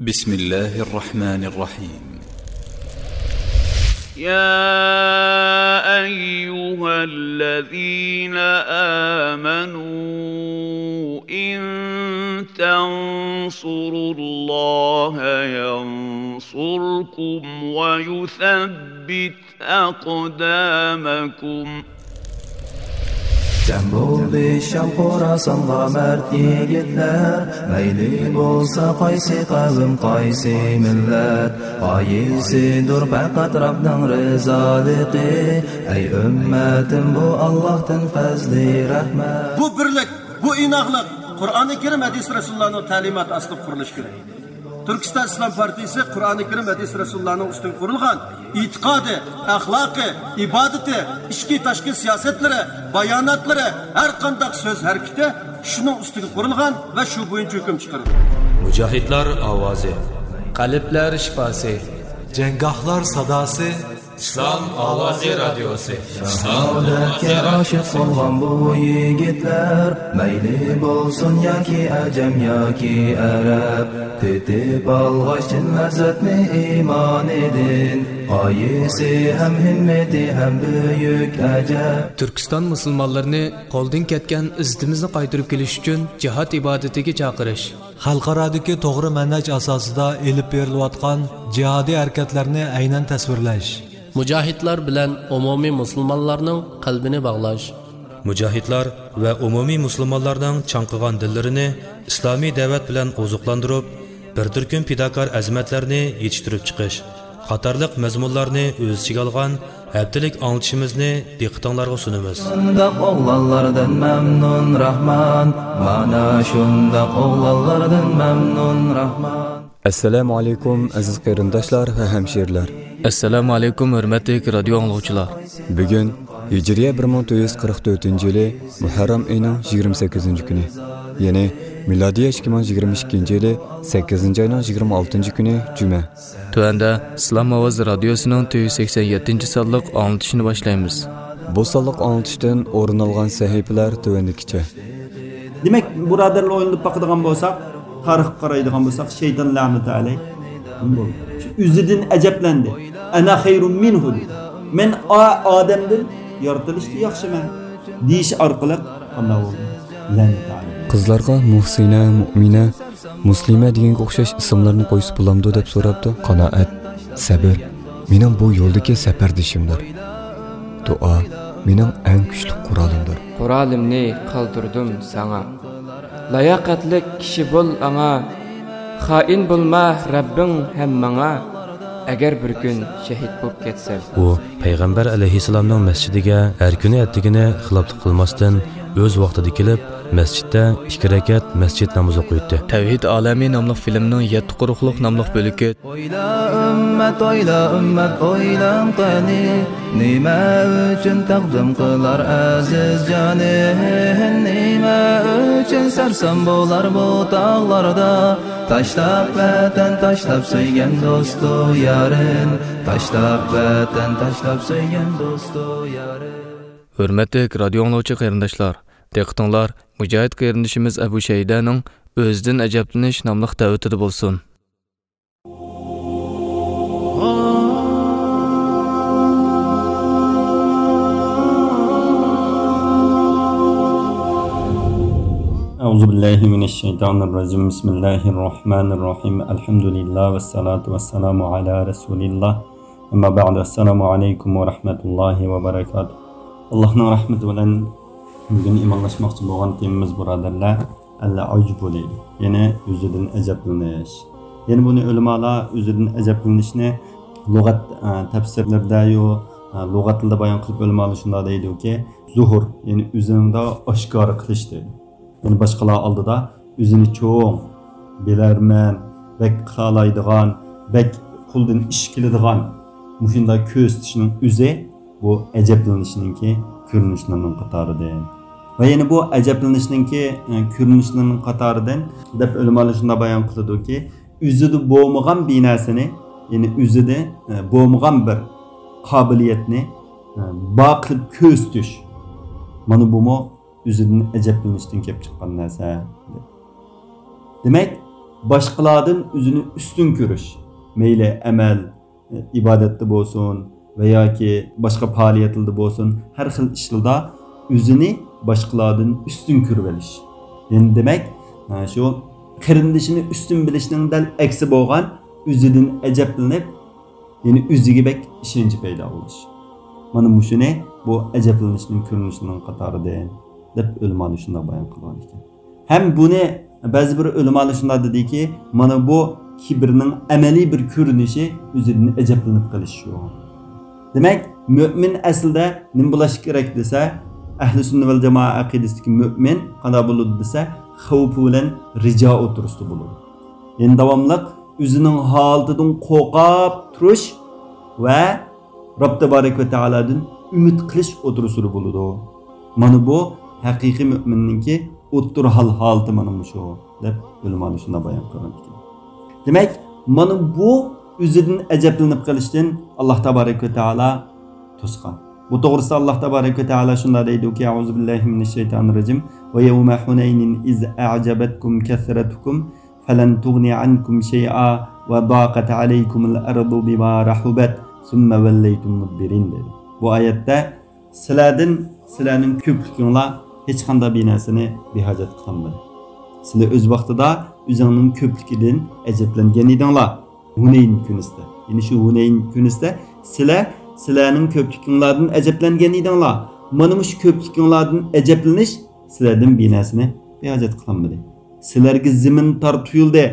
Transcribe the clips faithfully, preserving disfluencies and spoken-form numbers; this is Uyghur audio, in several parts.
بسم الله الرحمن الرحيم. يا أيها الذين آمنوا إن تنصروا الله ينصركم ويثبت أقدامكم. جەم بولدى شام خوراسانغا مەرد يىگىتلەر، مەيلى بولسا قايسى قەۋم، قايسى مىللەت، غايىسىدۇر پەقەت رەبنىڭ رىزالىقى. ئەي ئۈممەتىم، بۇ ئاللاھتىن پەزلى رەھمەت. بۇ بىرلىك، بۇ ئىناقلىق قۇرئانى كەرىم، ھەدىس رەسۇلۇللانىڭ تەلىماتى ئاستىدا قۇرۇلۇشى كېرەك. تۈركىستان ئىسلام پارتىيىسى قۇرئانى كەرىم، ھەدىس رەسۇلۇللانىڭ ئۈستىگە قۇرۇلغان ئېتىقادى، ئەخلاقى، ئىبادىتى، ئىچكى تاشقى سىياسەتلىرى، باياناتلىرى، ھەر قانداق سۆز ھەرىكىتى شۇنىڭ ئۈستىگە قۇرۇلغان ۋە شۇ بويىچە ھۆكۈم چىقىرىدۇ. مۇجاھىدلار ئاۋازى. قەلبلەر شىپاسى. جەڭگاھلار ساداسى. ئىسلام ئاۋازى رادىيوسى. شاھادەتكە ئاشىق بولغان بۇ يىگىتلەر، مەيلى بولسۇن ياكى ئەجەم ياكى ئەرەب، تېتىپ ئالغاچ چىن لەززەتنى ئىمانىدىن، غايىسى ھەم ھىممىتى ھەم بۈيۈك ئەجەب. تۈركىستان مۇسۇلمانلىرىنى قولدىن كەتكەن ئىززىتىمىزنى قايتۇرۇپ كېلىش ئۈچۈن جىھاد ئىبادىتىگە چاقىرىش. خەلقئارادىكى توغرا مەنھەج ئاساسىدا ئېلىپ بېرىلىۋاتقان جىھادىي ھەرىكەتلەرنى ئەينەن تەسۋىرلەش. مۇجاھىدلار بىلەن ئومۇمىي مۇسۇلمانلارنىڭ قەلبىنى باغلاش. مۇجاھىدلار ۋە ئومۇمىي مۇسۇلمانلارنىڭ چاڭقىغان دىللىرىنى ئىسلامىي دەۋەت بىلەن ئوزۇقلاندۇرۇپ، بىر تۈركۈم پىداكار ئەزىمەتلەرنى يېتىشتۈرۈپ چىقىش قاتارلىق مەزمۇنلارنى ئۆز ئىچىگە ئالغان ھەپتىلىك ئاڭلىتىشىمىزنى دىققىتىڭلارغا سۇنىمىز. شۇنداق ئوغلانلاردىن مەمنۇن راھمان، مانا شۇنداق ئوغلانلاردىن مەمنۇن راھمان. ئەسسالامۇ ئەلەيكۇم، ئەزىز قېرىنداشلار ۋە ھەمشىرىلەر. ئەسسالامۇ ئەلەيكۇم، ھۆرمەتلىك رادىيو ئاڭلىغۇچىلار. بۈگۈن ھىجرىيە بىر مىڭ تۆت يۈز قىرىق تۆتىنچى يىلى مۇھەررەم ئېيىنىڭ يىگىرمە سەككىزىنچى كۈنى، يەنى مىلادىيە ئىككى مىڭ يىگىرمە ئىككىنچى يىلى سەككىزىنچى ئاينىڭ يىگىرمە ئالتىنچى كۈنى جۈمە. تۆۋەندە ئىسلام ئاۋازى رادىيوسىنىڭ تۆت يۈز سەكسەن يەتتىنچى سانلىق ئاڭلىتىشىنى باشلايمىز. بۇ سانلىق ئاڭلىتىشتىن ئورۇن ئالغان سەھىپىلەر تۆۋەندىكىچە. دېمەك، بۇرادەرلەر، ئويلىنىپ باقىدىغان بولساق، تارىخقا قارايدىغان بولساق، شەيتان لەنەتۇ ئەلەيھ نېمە بولدى؟ شۇ ئۆزىدىن ئەجەبلەندى. «ئەنە خەيرۇم مىنھۇ» دېدى. «مەن ئا-، ئادەمدىن يارىتىلىشتا ياخشىمەن» دېيىش ئارقىلىق قانداق بولدى؟ لەنەتۇ ئەلەيھ. قىزلارغا مۇھسىنە، مۇئمىنە، مۇسلىمە دېگەنگە ئوخشاش ئىسىملارنى قويسا بولامدۇ دەپ سوراپتۇ. قانائەت، سەبر، مېنىڭ بۇ يولدىكى سەپەردىشىمدۇر. دۇئا، مېنىڭ ئەڭ كۈچلۈك قورالىمدۇر. قورالىمنى قالدۇردۇم ساڭا. لاياقەتلىك كىشى بول ئاڭا. خائىن بولما رەببىڭ ھەم ماڭا. ئەگەر بىر كۈن شېھىت بولۇپ كەتسەم. ئۇ پەيغەمبەر ئەلەيھىسسالامنىڭ مەسچىتىگە ھەر كۈنى ئەتىگىنى خىلاپلىق قىلماستىن، ئۆز ۋاقتىدا كېلىپ، مەسچىتتە ئىككى رەكەت مەسچىت نامىزى ئوقۇيتتى. تەۋھىد ئالەمى ناملىق فىلىمنىڭ يەتتە قۇرۇقلۇق ناملىق بۆلىكى. ئويلا ئۈممەت، ئويلا ئۈممەت، ئويلان قېنى، نېمە ئۈچۈن تەقدىم قىلار ئەزىز جانى؟ نېمە ئۈچۈن سەرسان بولار بۇ تاغلاردا؟ تاشلاپ ۋەتەن، تاشلاپ سۆيگەن دوستۇ يارىن، تاشلاپ ۋەتەن، تاشلاپ سۆيگەن دوستۇ يارىن. ھۆرمەتلىك رادىيو ئاڭلىغۇچى قېرىنداشلار، دىققىتىڭلار مۇجاھىد قېرىندىشىمىز ئەبۇ شەيدەنىڭ «ئۆزىدىن ئەجەبلىنىش» ناملىق دەۋىتىدە بولسۇن. أعوذ بالله من الشيطان الرجيم. بسم الله الرحمن الرحيم. الحمد لله والصلاة والسلام على رسول الله. أما بعد. السلام عليكم ورحمة الله وبركاته. ئاللاھنىڭ رەھمىتى بىلەن بۈگۈن ئىمانلاشماقچى بولغان تېمىمىز، بۇرادەرلەر، ئەل-ئۇجبۇ دەيدۇ. يەنى ئۆزىدىن ئەجەبلىنىش. يەنى بۇنى ئۆلىمالار ئۆزىدىن ئەجەبلىنىشنى لۇغەت، ئە، تەپسىرلىرىدە يۇ، ئە، لۇغەت تىلىدا بايان قىلىپ ئۆلىمالار شۇنداق دەيدۇكى، زۇھۇر، يەنى ئۆزىنىڭدا ئاشكارا قىلىش دەيدۇ. يەنى باشقىلار ئالدىدا ئۆزىنى چوڭ، بىلەرمەن، بەك قىلالايدىغان، بەك قولىدىن ئىش كېلىدىغان مۇشۇنداق كۆرسىتىشنىڭ ئۆزى بۇ ئەجەبلىنىشنىڭكى كۆرۈنۈشلىرىنىڭ قاتارىدىن. ۋە يەنە بۇ ئەجەبلىنىشنىڭكى، ئە، كۆرۈنۈشلىرىنىڭ قاتارىدىن دەپ ئۆلىمالار شۇنداق بايان قىلىدۇكى، ئۆزىدە بولمىغان بىر نەرسىنى، يەنى ئۆزىدە، ئە، بولمىغان بىر قابىلىيەتنى، ئە، بار قىلىپ كۆرسىتىش. مانا بۇمۇ ئۆزىدىن ئەجەبلىنىشتىن كېلىپ چىققان نەرسە. دېمەك، باشقىلاردىن ئۆزىنى ئۈستۈن كۆرۈش، مەيلى ئەمەل، ئىبادەتتە بولسۇن ۋە ياكى باشقا پائالىيەتلەردە بولسۇن، ھەر خىل ئىشلاردا ئۆزىنى باشقىلاردىن ئۈستۈن كۆرۈۋېلىش. يەنى دېمەك، شۇ قېرىندىشىنى ئۈستۈن بىلىشنىڭ دەل ئەكسى بولغان، ئۆزىدىن ئەجەبلىنىپ، يەنى ئۆزىگە بەك ئىشەنچ پەيدا بولۇش. مانا مۇشۇنى بۇ ئەجەبلىنىشنىڭ كۆرۈنۈشلىرىنىڭ قاتارىدىن، دەپ ئۆلىمالار شۇنداق بايان قىلغان ئىكەن. ھەم بۇنى بەزى بىر ئۆلىمالار شۇنداق دېدىكى، مانا بۇ كىبىرنىڭ ئەمەلىي بىر كۆرۈنۈشى، ئۆزىدىن ئەجەبلىنىپ قېلىش شۇ. دېمەك، مۆمىن ئەسلىدە نېمە بولۇشى كېرەك دېسە، ئەھلى سۈننە ۋەل جامائە ئەقىدىسىدىكى مۆمىن قانداق بولىدۇ دېسە، خەۋپى بىلەن رىجا ئوتتۇرىسىدا بولىدۇ. يەنى داۋاملىق ئۆزىنىڭ ھالىتىدىن قورقۇپ تۇرۇش ۋە رەب تەبارەك ۋە تائالادىن ئۈمىد قىلىش ئوتتۇرىسىدا بولىدۇ. مانا بۇ ھەقىقىي مۆمىننىڭكى ئوتتۇرا ھال ھالىتى مانا مۇشۇ، دەپ ئۆلىمالار شۇنداق بايان قىلغان ئىكەن. دېمەك، مانا بۇ ئۆزىدىن ئەجەبلىنىپ قېلىشتىن ئاللاھ تەبارەك ۋە تائالا توسقان. بۇ توغرىسىدا ئاللاھ تەبارەك ۋە تائالا شۇنداق دەيدۇكى، أعوذ بالله من الشيطان الرجيم. ويوم حنين إذ أعجبتكم كثرتكم فلن تغن عنكم شيئا وضاقت عليكم الأرض بما رحبت ثم وليتم مدبرين دەيدۇ. بۇ ئايەتتە سىلەردىن، سىلەرنىڭ كۆپلۈكۈڭلار ھېچقانداق بىر نەرسىنى بىھاجەت قىلالمىدى. سىلەر ئۆز ۋاقتىدا ئۆزۈڭنىڭ كۆپلۈكىدىن ئەجەبلەنگەن ئىدىڭلار. ھۇنەين كۈنىسىدە، يەنى شۇ ھۇنەين كۈنىسىدە سىلەر سىلەرنىڭ كۆپلۈكۈڭلاردىن ئەجەبلەنگەن ئىدىڭلار. مانا مۇشۇ كۆپلۈكۈڭلاردىن ئەجەبلىنىش سىلەردىن بىر نەرسىنى بىھاجەت قىلالمىدى. سىلەرگە زېمىن تار تۇيۇلدى.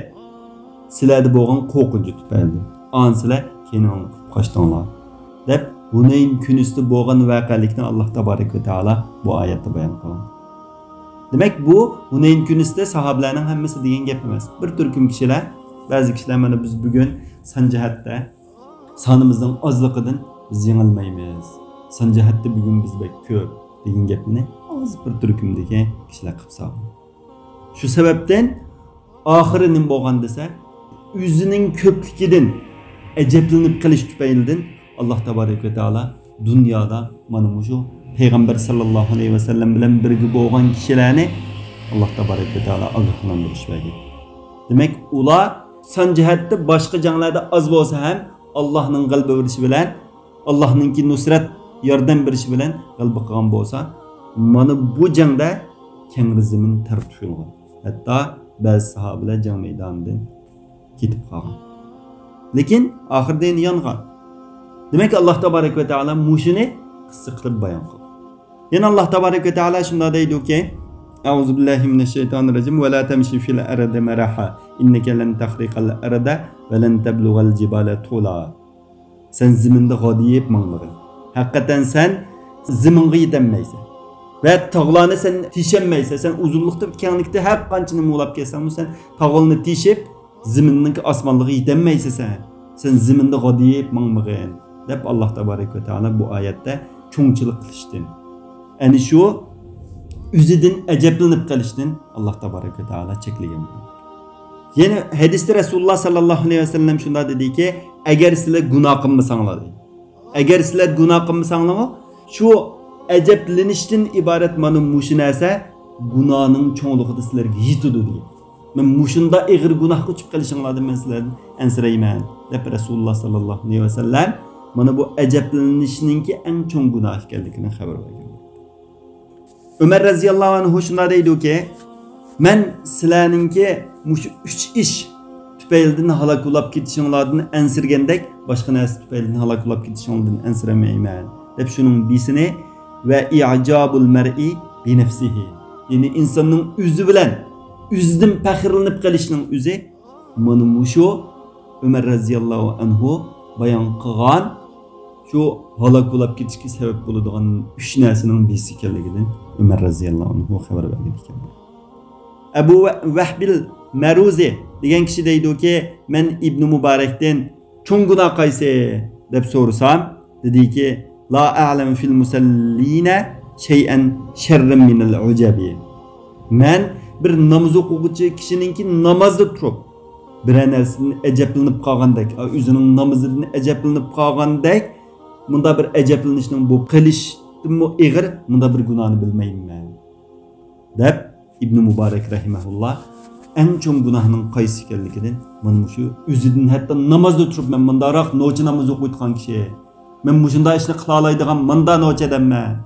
سىلەردە بولغان قورقۇنچ تۈپەيلىدىن. ئانا سىلەر كەينىڭلارنى قىپ قاچتىڭلار، دەپ ھۇنەين كۈنىسىدە بولغان ۋەقەلىكنى ئاللاھ تەبارەك ۋە تائالا بۇ ئايەتتە بايان قىلغان. دېمەك، بۇ ھۇنەين كۈنىسىدە ساھابىلەرنىڭ ھەممىسى دېگەن گەپ ئەمەس. بىر تۈركۈم كىشىلەر، بەزى كىشىلەر مانا بىز بۈگۈن سان جەھەتتە سانىمىزنىڭ ئازلىقىدىن بىز يېڭىلمەيمىز. سان جەھەتتە بۈگۈن بىز بەك كۆپ دېگەن گەپنى ئاز بىر تۈركۈمدىكى كىشىلەر قىلىپ سالغان. شۇ سەۋەبتىن ئاخىرى نېمە بولغان دېسە، ئۆزىنىڭ كۆپلۈكىدىن ئەجەبلىنىپ قېلىش تۈپەيلىدىن ئاللاھ تەبارەك ۋە تائالا دۇنيادا مانا مۇشۇ پەيغەمبەر ساللاللاھۇ ئەلەيھى ۋەسەللەم بىلەن بىرگە بولغان كىشىلەرنى ئاللاھ تەبارەك ۋە تائالا ئاگاھلاندۇرۇش بەرگەن. دېمەك، ئۇلار سان جەھەتتە باشقا جەڭلەردە ئاز بولسا ھەم، ئاللاھنىڭ غەلىبە بېرىشى بىلەن، ئاللاھنىڭكى نۇسرەت، ياردەم بېرىشى بىلەن غەلىبە قىلغان بولسا، مانا بۇ جەڭدە كەڭرى زېمىن تەر تۇيۇلغان. ھەتتا بەزى ساھابىلەر جەڭ مەيدانىدىن كېتىپ قالغان. لېكىن ئاخىرىدا يەنە يانغان. دېمەك، ئاللاھ تەبارەك ۋە تائالا مۇشۇنى قىسسە قىلىپ بايان قىلغان. يەنە ئاللاھ تەبارەك ۋە تائالا شۇنداق دەيدۇكى، أعوذ بالله من الشيطان الرجيم. ولا تمش في الأرض مرحا إنك لن تخرق الأرض ولن تبلغ الجبال طولا. سەن زېمىندا غادىيىپ ماڭمىغىن. ھەقىقەتەن سەن زېمىنغا يېتەلمەيسەن. ۋە تاغلارنى سەن تېشەلمەيسەن. سەن ئۇزۇنلۇقتا، كەڭلىكتە ھەر قانچىنى مۇۋلاپ كەلسەڭمۇ، سەن تاغلارنى تېشىپ، زېمىننىڭكى ئاسمانلىقىغا يېتەلمەيسەن سەن. سەن زېمىندا غادىيىپ ماڭمىغىن، دەپ ئاللاھ تەبارەك ۋە تائالا بۇ ئايەتتە چوڭچىلىق قىلىشتىن، ئەنە شۇ ئۆزىدىن ئەجەبلىنىپ قېلىشتىن ئاللاھ تەبارەك ۋە تائالا چەكلىگەن. يەنە ھەدىستە رەسۇلۇللاھ ساللاللاھۇ ئەلەيھى ۋەسەللەم شۇنداق دېدىكى، ئەگەر سىلەر گۇناھ قىلمىساڭلار، دېدى. ئەگەر سىلەر گۇناھ قىلمىساڭلارمۇ، شۇ ئەجەبلىنىشتىن ئىبارەت مانا مۇشۇ نەرسە گۇناھنىڭ چوڭلۇقىدا سىلەرگە يېتىدۇ، دېگەن. مەن مۇشۇنداق ئېغىر گۇناھقا چۈشۈپ قېلىشىڭلاردىن مەن سىلەردىن ئەنسىرەيمەن، دەپ رەسۇلۇللاھ ساللاللاھۇ ئەلەيھى ۋەسەللەم مانا بۇ ئەجەبلىنىشنىڭكى ئەڭ چوڭ گۇناھ ئىكەنلىكىنى خەۋەر بەرگەن. ئۆمەر رەزىياللاھۇ ئەنھۇ شۇنداق دەيدۇكى، مەن سىلەرنىڭكى مۇشۇ ئۈچ ئىش تۈپەيلىدىن ھالاك بولاپ كېتىشىڭلاردىن ئەنسىرىگەندەك، باشقا نەرسە تۈپەيلىدىن ھالاك بولاپ كېتىشىڭلاردىن ئەنسىرىمەيمەن، دەپ شۇنىڭ بىرسىنى، ۋە إعجاب المرء بنفسه، يەنى ئىنساننىڭ ئۆزى بىلەن ئۆزىدىن پەخىرلىنىپ قېلىشنىڭ ئۆزى مانا مۇشۇ ئۆمەر رەزىياللاھۇ ئەنھۇ بايان قىلغان شۇ ھالاك بولاپ كېتىشكە سەۋەب بولىدىغان ئۈچ نەرسىنىڭ بىرسى ئىكەنلىكىدىن ئۆمەر رەزىياللاھۇ ئەنھۇ خەۋەر بەرگەن ئىكەن. ئەبۇ ۋە-، ۋەھبىل مەرۇزى دېگەن كىشى دەيدۇكى، مەن ئىبنى مۇبارەكتىن چوڭ گۇناھ قايسى؟ دەپ سورىسام، دېدىكى، لا أعلم في المصلين شيئا شرا من العجب. مەن بىر ناماز ئوقۇغۇچى كىشىنىڭكى نامازدا تۇرۇپ، بىرەر نەرسىدىن ئەجەبلىنىپ قالغاندەك، ئۆزىنىڭ نامىزىدىن ئەجەبلىنىپ قالغاندەك، مۇنداق بىر ئەجەبلىنىشنىڭ بولۇپ قېلىشتىنمۇ ئېغىر مۇنداق بىر گۇناھنى بىلمەيمەن، دەپ ئىبنى مۇبارەك رەھىمەھۇللا ئەڭ چوڭ گۇناھنىڭ قايسى ئىكەنلىكىدىن، مانا مۇشۇ ئۆزىدىن ھەتتا نامازدا تۇرۇپ، مەن مۇنداقراق نوچە نامىزى ئوقۇيدىغان كىشى، مەن مۇشۇنداق ئىشنى قىلالايدىغان مۇنداق نوچە ئادەممەن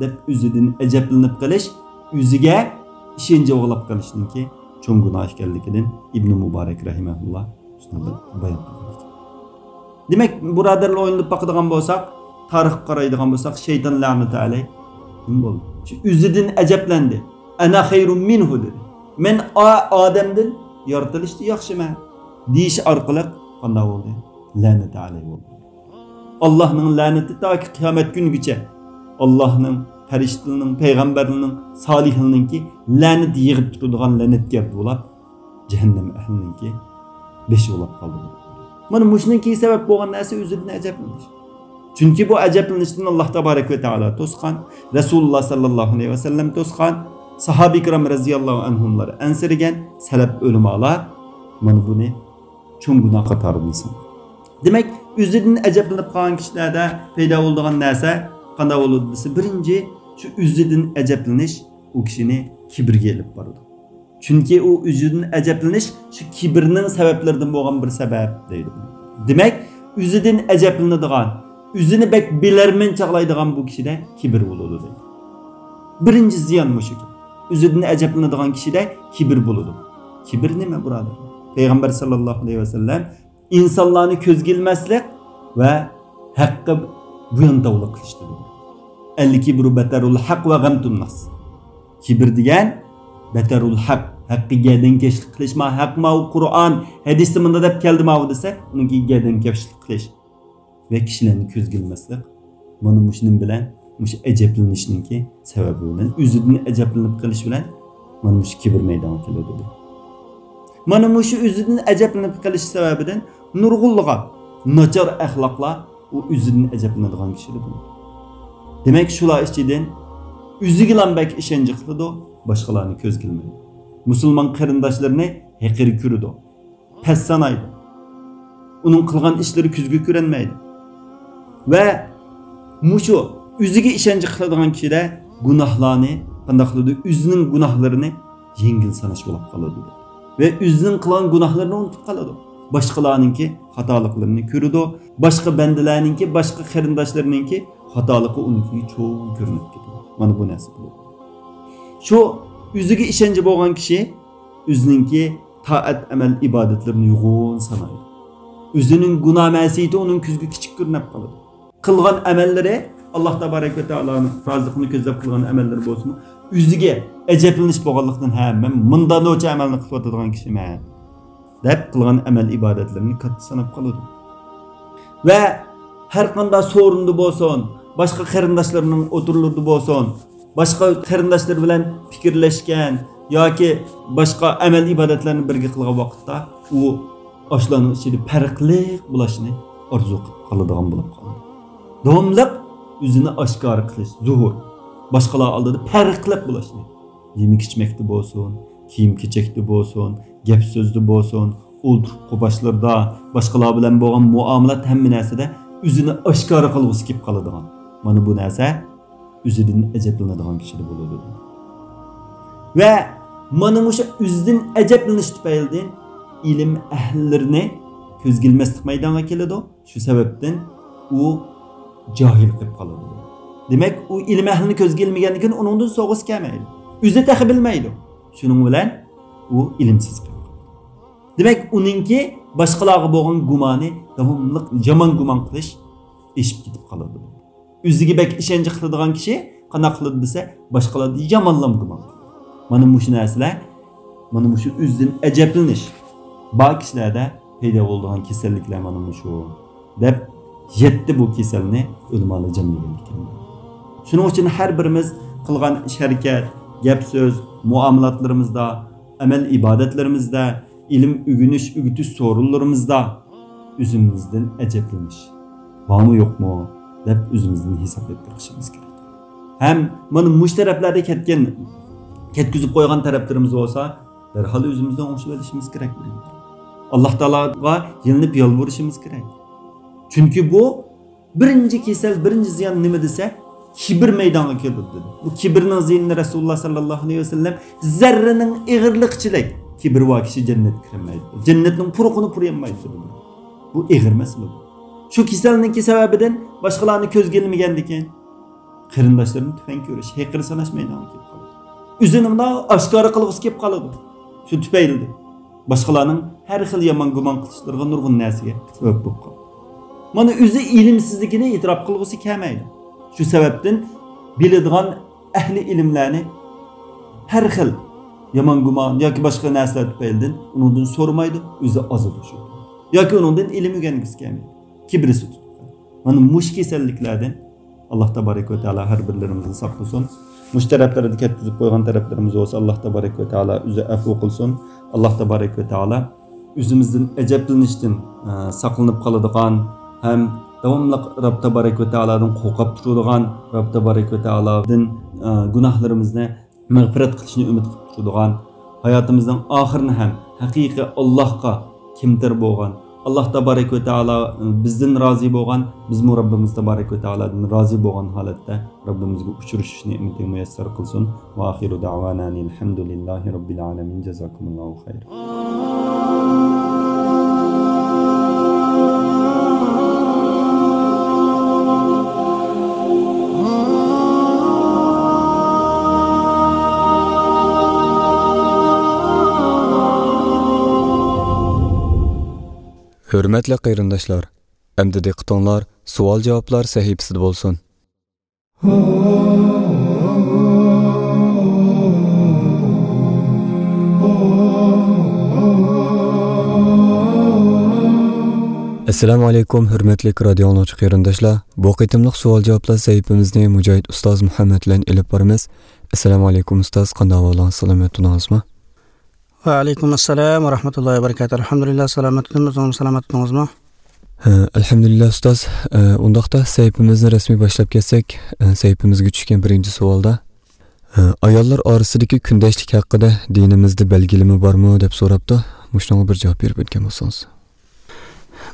دەپ ئۆزىدىن ئەجەبلىنىپ قېلىش، ئۆزىگە ئىشەنچ باغلاپ قېلىشنىڭكى چوڭ گۇناھ ئىكەنلىكىدىن ئىبنى مۇبارەك رەھىمەھۇللا شۇنداق بايان قىلغان ئىكەن. دېمەك، بۇرادەرلەر، ئويلىنىپ باقىدىغان بولساق، تارىخقا قارايدىغان بولساق، شەيتان لەنەتۇ ئەلەيھ نېمە بولدى؟ شۇ ئۆزىدىن ئەجەبلەندى. «ئەنە خەيرۇم مىنھۇ» دېدى. «مەن ئا-، ئادەمدىن يارىتىلىشتا ياخشىمەن» دېيىش ئارقىلىق قانداق بولدى؟ لەنەتۇ ئەلەيھ بولدى. ئاللاھنىڭ لەنىتى تاكى قىيامەت كۈنىگىچە، ئاللاھنىڭ، پەرىشتىلىرىنىڭ، پەيغەمبەرلىرىنىڭ، سالىھلىرىنىڭكى لەنىتى يىغىپ تۇرىدىغان لەنەتگەر بولاپ، جەھەننەم ئەھلىنىڭكى بېشى بولاپ قالدى. مانا مۇشۇنىڭكى سەۋەب بولغان نەرسە ئۆزىدىن ئەجەبلىنىش. چۈنكى بۇ ئەجەبلىنىشتىن ئاللاھ تابارەك ۋە تائالا توسقان، رەسۇلۇللاھ ساللاللاھۇ ئەلەيھى ۋەسەللەم توسقان، ساھابە كىرام رەزىياللاھۇ ئەنھۇملار ئەنسىرىگەن، سەلەپ ئۆلىمالار مانا بۇنى چوڭ گۇناھ قاتارىدىن سانىدى. دېمەك، ئۆزىدىن ئەجەبلىنىپ قالغان كىشىلەردە پەيدا بولىدىغان نەرسە قانداق بولىدۇ دېسە، بىرىنچى، شۇ ئۆزىدىن ئەجەبلىنىش ئۇ كىشىنى كىبىرگە ئېلىپ بارىدۇ. چۈنكى ئۇ ئۆزىدىن ئەجەبلىنىش شۇ كىبىرنىڭ سەۋەبلىرىدىن بولغان بىر سەۋەب دەيدۇ. دېمەك، ئۆزىدىن ئەجەبلىنىدىغان، ئۆزىنى بەك بىلەرمەن چاغلايدىغان بۇ كىشىدە كىبىر بولىدۇ دەيدۇ. بىرىنچى زىيان مۇشۇ. ئۆزىدىن ئەجەبلىنىدىغان كىشىدە كىبىر بولىدۇ. كىبىر نېمە، بۇرادەر؟ پەيغەمبەر ساللاللاھۇ ئەلەيھى ۋەسەللەم ئىنسانلارنى كۆزگە ئىلماسلىق ۋە ھەققە بويۇنتاۋلىق قىلىش دېدى. ئەل كىبرۇ بەتەرۇل ھەق ۋە غەمتۇن ناس. كىبىر دېگەن بەتەرۇل ھەق، ھەققە گەدەنكەشلىك قىلىش، ما ھەق، ماۋۇ قۇرئان، ھەدىستە مۇنداق دەپ كەلدى ماۋۇ دېسە، ئۇنىڭكى گەدەنكەشلىك قىلىش ۋە كىشىلەرنى كۆزگە ئىلماسلىق. مانا مۇشۇنىڭ بىلەن، مۇشۇ ئەجەبلىنىشنىڭكى سەۋەبى بىلەن، ئۆزىدىن ئەجەبلىنىپ قېلىش بىلەن مانا مۇشۇ كىبىر مەيدانغا كېلىدۇ. مانا مۇشۇ ئۆزىدىن ئەجەبلىنىپ قېلىش سەۋەبىدىن نۇرغۇنلىغان ناچار ئەخلاقلار ئۇ ئۆزىدىن ئەجەبلىنىدىغان كىشىدە بولىدۇ. دېمەك، شۇلار ئىچىدىن ئۆزىگىلا بەك ئىشەنچ قىلىدۇ، باشقىلارنى كۆزگە ئىلمايدۇ. مۇسۇلمان قېرىنداشلىرىنى ھەقىر كۆرىدۇ، پەس سانايدۇ. ئۇنىڭ قىلغان ئىشلىرى كۆزگە كۆرۈنمەيدۇ. ۋە مۇشۇ ئۆزىگە ئىشەنچ قىلىدىغان كىشىدە گۇناھلارنى قانداق قىلىدۇ؟ ئۆزىنىڭ گۇناھلىرىنى يەڭگىل ساناش بولۇپ قالىدۇ. ۋە ئۆزىنىڭ قىلغان گۇناھلىرىنى ئۇنتۇپ قالىدۇ. باشقىلارنىڭكى خاتالىقلىرىنى كۆرىدۇ. باشقا بەندىلەرنىڭكى، باشقا قېرىنداشلىرىنىڭكى خاتالىقى ئۇنىڭكىگە چوڭ كۆرۈنۈپ كېتىدۇ. مانا بۇ نەرسە بولىدۇ. شۇ ئۆزىگە ئىشەنچى بولغان كىشى ئۆزىنىڭكى تائەت، ئەمەل، ئىبادەتلىرىنى يوغان سانايدۇ. ئۆزىنىڭ گۇناھ مەسىيىتى ئۇنىڭ كۆزىگە كىچىك كۆرۈنۈپ قالىدۇ. قىلغان ئەمەللىرى، ئاللاھ تابارەك ۋە تائالانىڭ رازىلىقىنى كۆزلەپ قىلغان ئەمەللىرى بولسىمۇ، ئۆزىگە ئەجەبلىنىش بولغانلىقتىن، ھە، مەن مۇنداق نوچە ئەمەلنى قىلىۋاتىدىغان كىشىمەن دەپ قىلغان ئەمەل ئىبادەتلىرىنى كاتتا ساناپ قالىدۇ. ۋە ھەر قانداق سورۇندا بولسۇن، باشقا قېرىنداشلىرىنىڭ ئوتتۇرىلىرىدا بولسۇن، باشقا قېرىنداشلىرى بىلەن پىكىرلەشكەن ياكى باشقا ئەمەل ئىبادەتلەرنى بىرگە قىلغان ۋاقىتتا، ئۇ ئاشۇلارنىڭ ئىچىدە پەرقلىق بولۇشنى ئارزۇ قىلىپ قالىدىغان بولۇپ قالىدۇ. داۋاملىق ئۆزىنى ئاشكارا قىلىش، زۇھۇر، باشقىلار ئالدىدا پەرقلىق بولۇشنى، يېمەك ئىچمەكتە بولسۇن، كىيىم كېچەكتە بولسۇن، گەپ سۆزدە بولسۇن، ئولتۇرۇپ قوپاشلىرىدا، باشقىلار بىلەن بولغان مۇئامىلات، ھەممە نەرسىدە ئۆزىنى ئاشكارا قىلغۇسى كېلىپ قالىدىغان. مانا بۇ نەرسە ئۆزىدىن ئەجەبلىنىدىغان كىشىدە بولىدۇ. ۋە مانا مۇشۇ ئۆزىدىن ئەجەبلىنىش تۈپەيلىدىن ئىلىم ئەھلىلىرىنى كۆزگە ئىلماسلىق مەيدانغا كېلىدۇ. شۇ سەۋەبتىن ئۇ جاھىل قېلىپ قالىدۇ. دېمەك، ئۇ ئىلىم ئەھلىنى كۆزگە ئىلمىگەندىن كېيىن ئۇنىڭدىن سوغۇسى كەلمەيدۇ. ئۆزى تېخى بىلمەيدۇ. شۇنىڭ بىلەن ئۇ ئىلىمسىز قېلىپ قالىدۇ. دېمەك، ئۇنىڭكى باشقىلارغا بولغان گۇمانى داۋاملىق يامان گۇمان قىلىش ئېشىپ كېتىپ قالىدۇ. ئۆزىگە بەك ئىشەنچ قىلىدىغان كىشى قانداق قىلىدۇ دېسە، باشقىلاردىن يامانلام گۇمان قىلىدۇ. مانا مۇشۇ نەرسىلەر، مانا مۇشۇ ئۆزىدىن ئەجەبلىنىش بار كىشىلەردە پەيدا بولىدىغان كېسەللىكلەر مانا مۇشۇ، دەپ يەتتە بۇ كېسەلنى ئۆلىمالار جەملىگەن ئىكەن. شۇنىڭ ئۈچۈن ھەر بىرىمىز قىلغان ئىش-ھەرىكەت، گەپ-سۆز، مۇئامىلاتلىرىمىزدا، ئەمەل-ئىبادەتلىرىمىزدە، ئىلىم ئۆگىنىش، ئۆگىتىش سورۇنلىرىمىزدا ئۆزىمىزدىن ئەجەبلىنىش بارمۇ، يوقمۇ دەپ ئۆزىمىزدىن ھېساب ئېلىپ بېقىشىمىز كېرەك. ھەم مانا مۇشۇ تەرەپلەردە كەتكەن، كەتكۈزۈپ قويغان تەرەپلىرىمىز بولسا، دەرھال ئۆزىمىزنى ئوڭشىۋېلىشىمىز كېرەك. ئاللاھ تائالاغا يېلىنىپ يالۋۇرۇشىمىز كېرەك. چۈنكى بۇ بىرىنچى كېسەل، بىرىنچى زىيان نېمە دېسە، كىبىر مەيدانغا كېلىدۇ دېدى. بۇ كىبىرنىڭ زىيىنىنى رەسۇلۇللاھ ساللاللاھۇ ئەلەيھى ۋەسەللەم زەررىنىڭ ئېغىرلىقىچىلىك كىبىر بار كىشى جەننەتكە كىرەلمەيدۇ. جەننەتنىڭ پۇرىقىنى پۇرىيالمايدۇ. بۇ ئېغىر مەسىلە بۇ. شۇ كېسەلنىڭكى سەۋەبىدىن باشقىلارنى كۆزگە ئىلمىگەندىكىن، قېرىنداشلىرىنى تۆۋەن كۆرۈش، ھېقىر ساناش مەيدانغا كېلىپ قالىدۇ. ئۆزىنى مۇنداق ئاشكارا قىلغۇسى كېلىپ قالىدۇ. شۇ تۈپەيلىدىن باشقىلارنىڭ ھەر خىل يامان گۇمان قىلىشلىرىغا نۇرغۇن نەرسىگە سەۋەب بولۇپ قالىدۇ. مانا ئۆزى ئىلىمسىزلىكىنى ئېتىراپ قىلغۇسى كەلمەيدۇ. شۇ سەۋەبتىن بىلىدىغان ئەھلى ئىلىملەرنى ھەر خىل يامان گۇمان ياكى باشقا نەرسىلەر تۈپەيلىدىن ئۇنىڭدىن سورىمايدۇ، ئۆزى ئازىدۇ شۇ. ياكى ئۇنىڭدىن ئىلىم ئۆگەنگۈسى كەلمەيدۇ. كىبرىسى تۇتۇپ قالىدۇ. مانا مۇشۇ كېسەللىكلەردىن ئاللاھ تابارەك ۋە تائالا ھەر بىرلىرىمىزنى ساقلىسۇن. مۇشۇ تەرەپلەردە كەتكۈزۈپ قويغان تەرەپلىرىمىز بولسا، ئاللاھ تابارەك ۋە تائالا ئۆزى ئەفۇ قىلسۇن. ئاللاھ تابارەك ۋە تائالا ئۆزىمىزدىن ئەجەبلىنىشتىن، ئە، ساقلىنىپ قالىدىغان ھەم داۋاملىق رەب تابارەك ۋە تائالادىن قورقۇپ تۇرىدىغان، رەب تابارەك ۋە تائالادىن، ئە، گۇناھلىرىمىزنى مەغپىرەت قىلىشنى ئۈمىد قىلىپ تۇرىدىغان، ھاياتىمىزنىڭ ئاخىرىنى ھەم ھەقىقىي ئاللاھقا كەمتەر بولغان، ئاللاھ تابارەك ۋە تائالا بىزدىن رازى بولغان، بىزمۇ رەببىمىز تابارەك ۋە تائالادىن رازى بولغان ھالەتتە رەببىمىزگە ئۇچرىشىش نېمىتىنى مۇيەسسەر قىلسۇن. ۋە ئاخىرۇ دەۋانا ئەنىلھەمدۇلىللاھى رەببىل ئالەمىن. جازاكۇمۇللاھۇ خەيرا. ھۆرمەتلىك قېرىنداشلار، ئەمدى دىققىتىڭلار سوئال-جاۋابلار سەھىپىسىدە بولسۇن. ئەسسالامۇ ئەلەيكۇم، ھۆرمەتلىك رادىيو ئاڭلىغۇچى قېرىنداشلار. بۇ قېتىملىق سوئال-جاۋابلار سەھىپىمىزنى مۇجاھىد ئۇستاز مۇھەممەد بىلەن ئېلىپ بارىمىز. ئەسسالامۇ ئەلەيكۇم ئۇستاز، قانداق ئەھۋالىڭىز، سالامەت تۇردىڭىزمۇ؟ ۋەئەلەيكۇم ئەسسالام ۋە رەھمەتۇللاھى ۋە بەرىكاتۇھ. ئەلھەمدۇلىللا، سالامەت تۇردۇم. ئۆزىڭىز سالامەت تۇردىڭىزمۇ؟ ھە، ئەلھەمدۇلىللا ئۇستاز. ئە، ئۇنداقتا سەھىپىمىزنى رەسمىي باشلاپ كەتسەك، ئە، سەھىپىمىزگە چۈشكەن بىرىنچى سوئالدا، ئە، ئاياللار ئارىسىدىكى كۈندەشلىك ھەققىدە دىنىمىزدە بەلگىلىمە بارمۇ دەپ سوراپتۇ. مۇشۇنىڭغا بىر جاۋاب بېرىپ ئۆتكەن بولسىڭىز.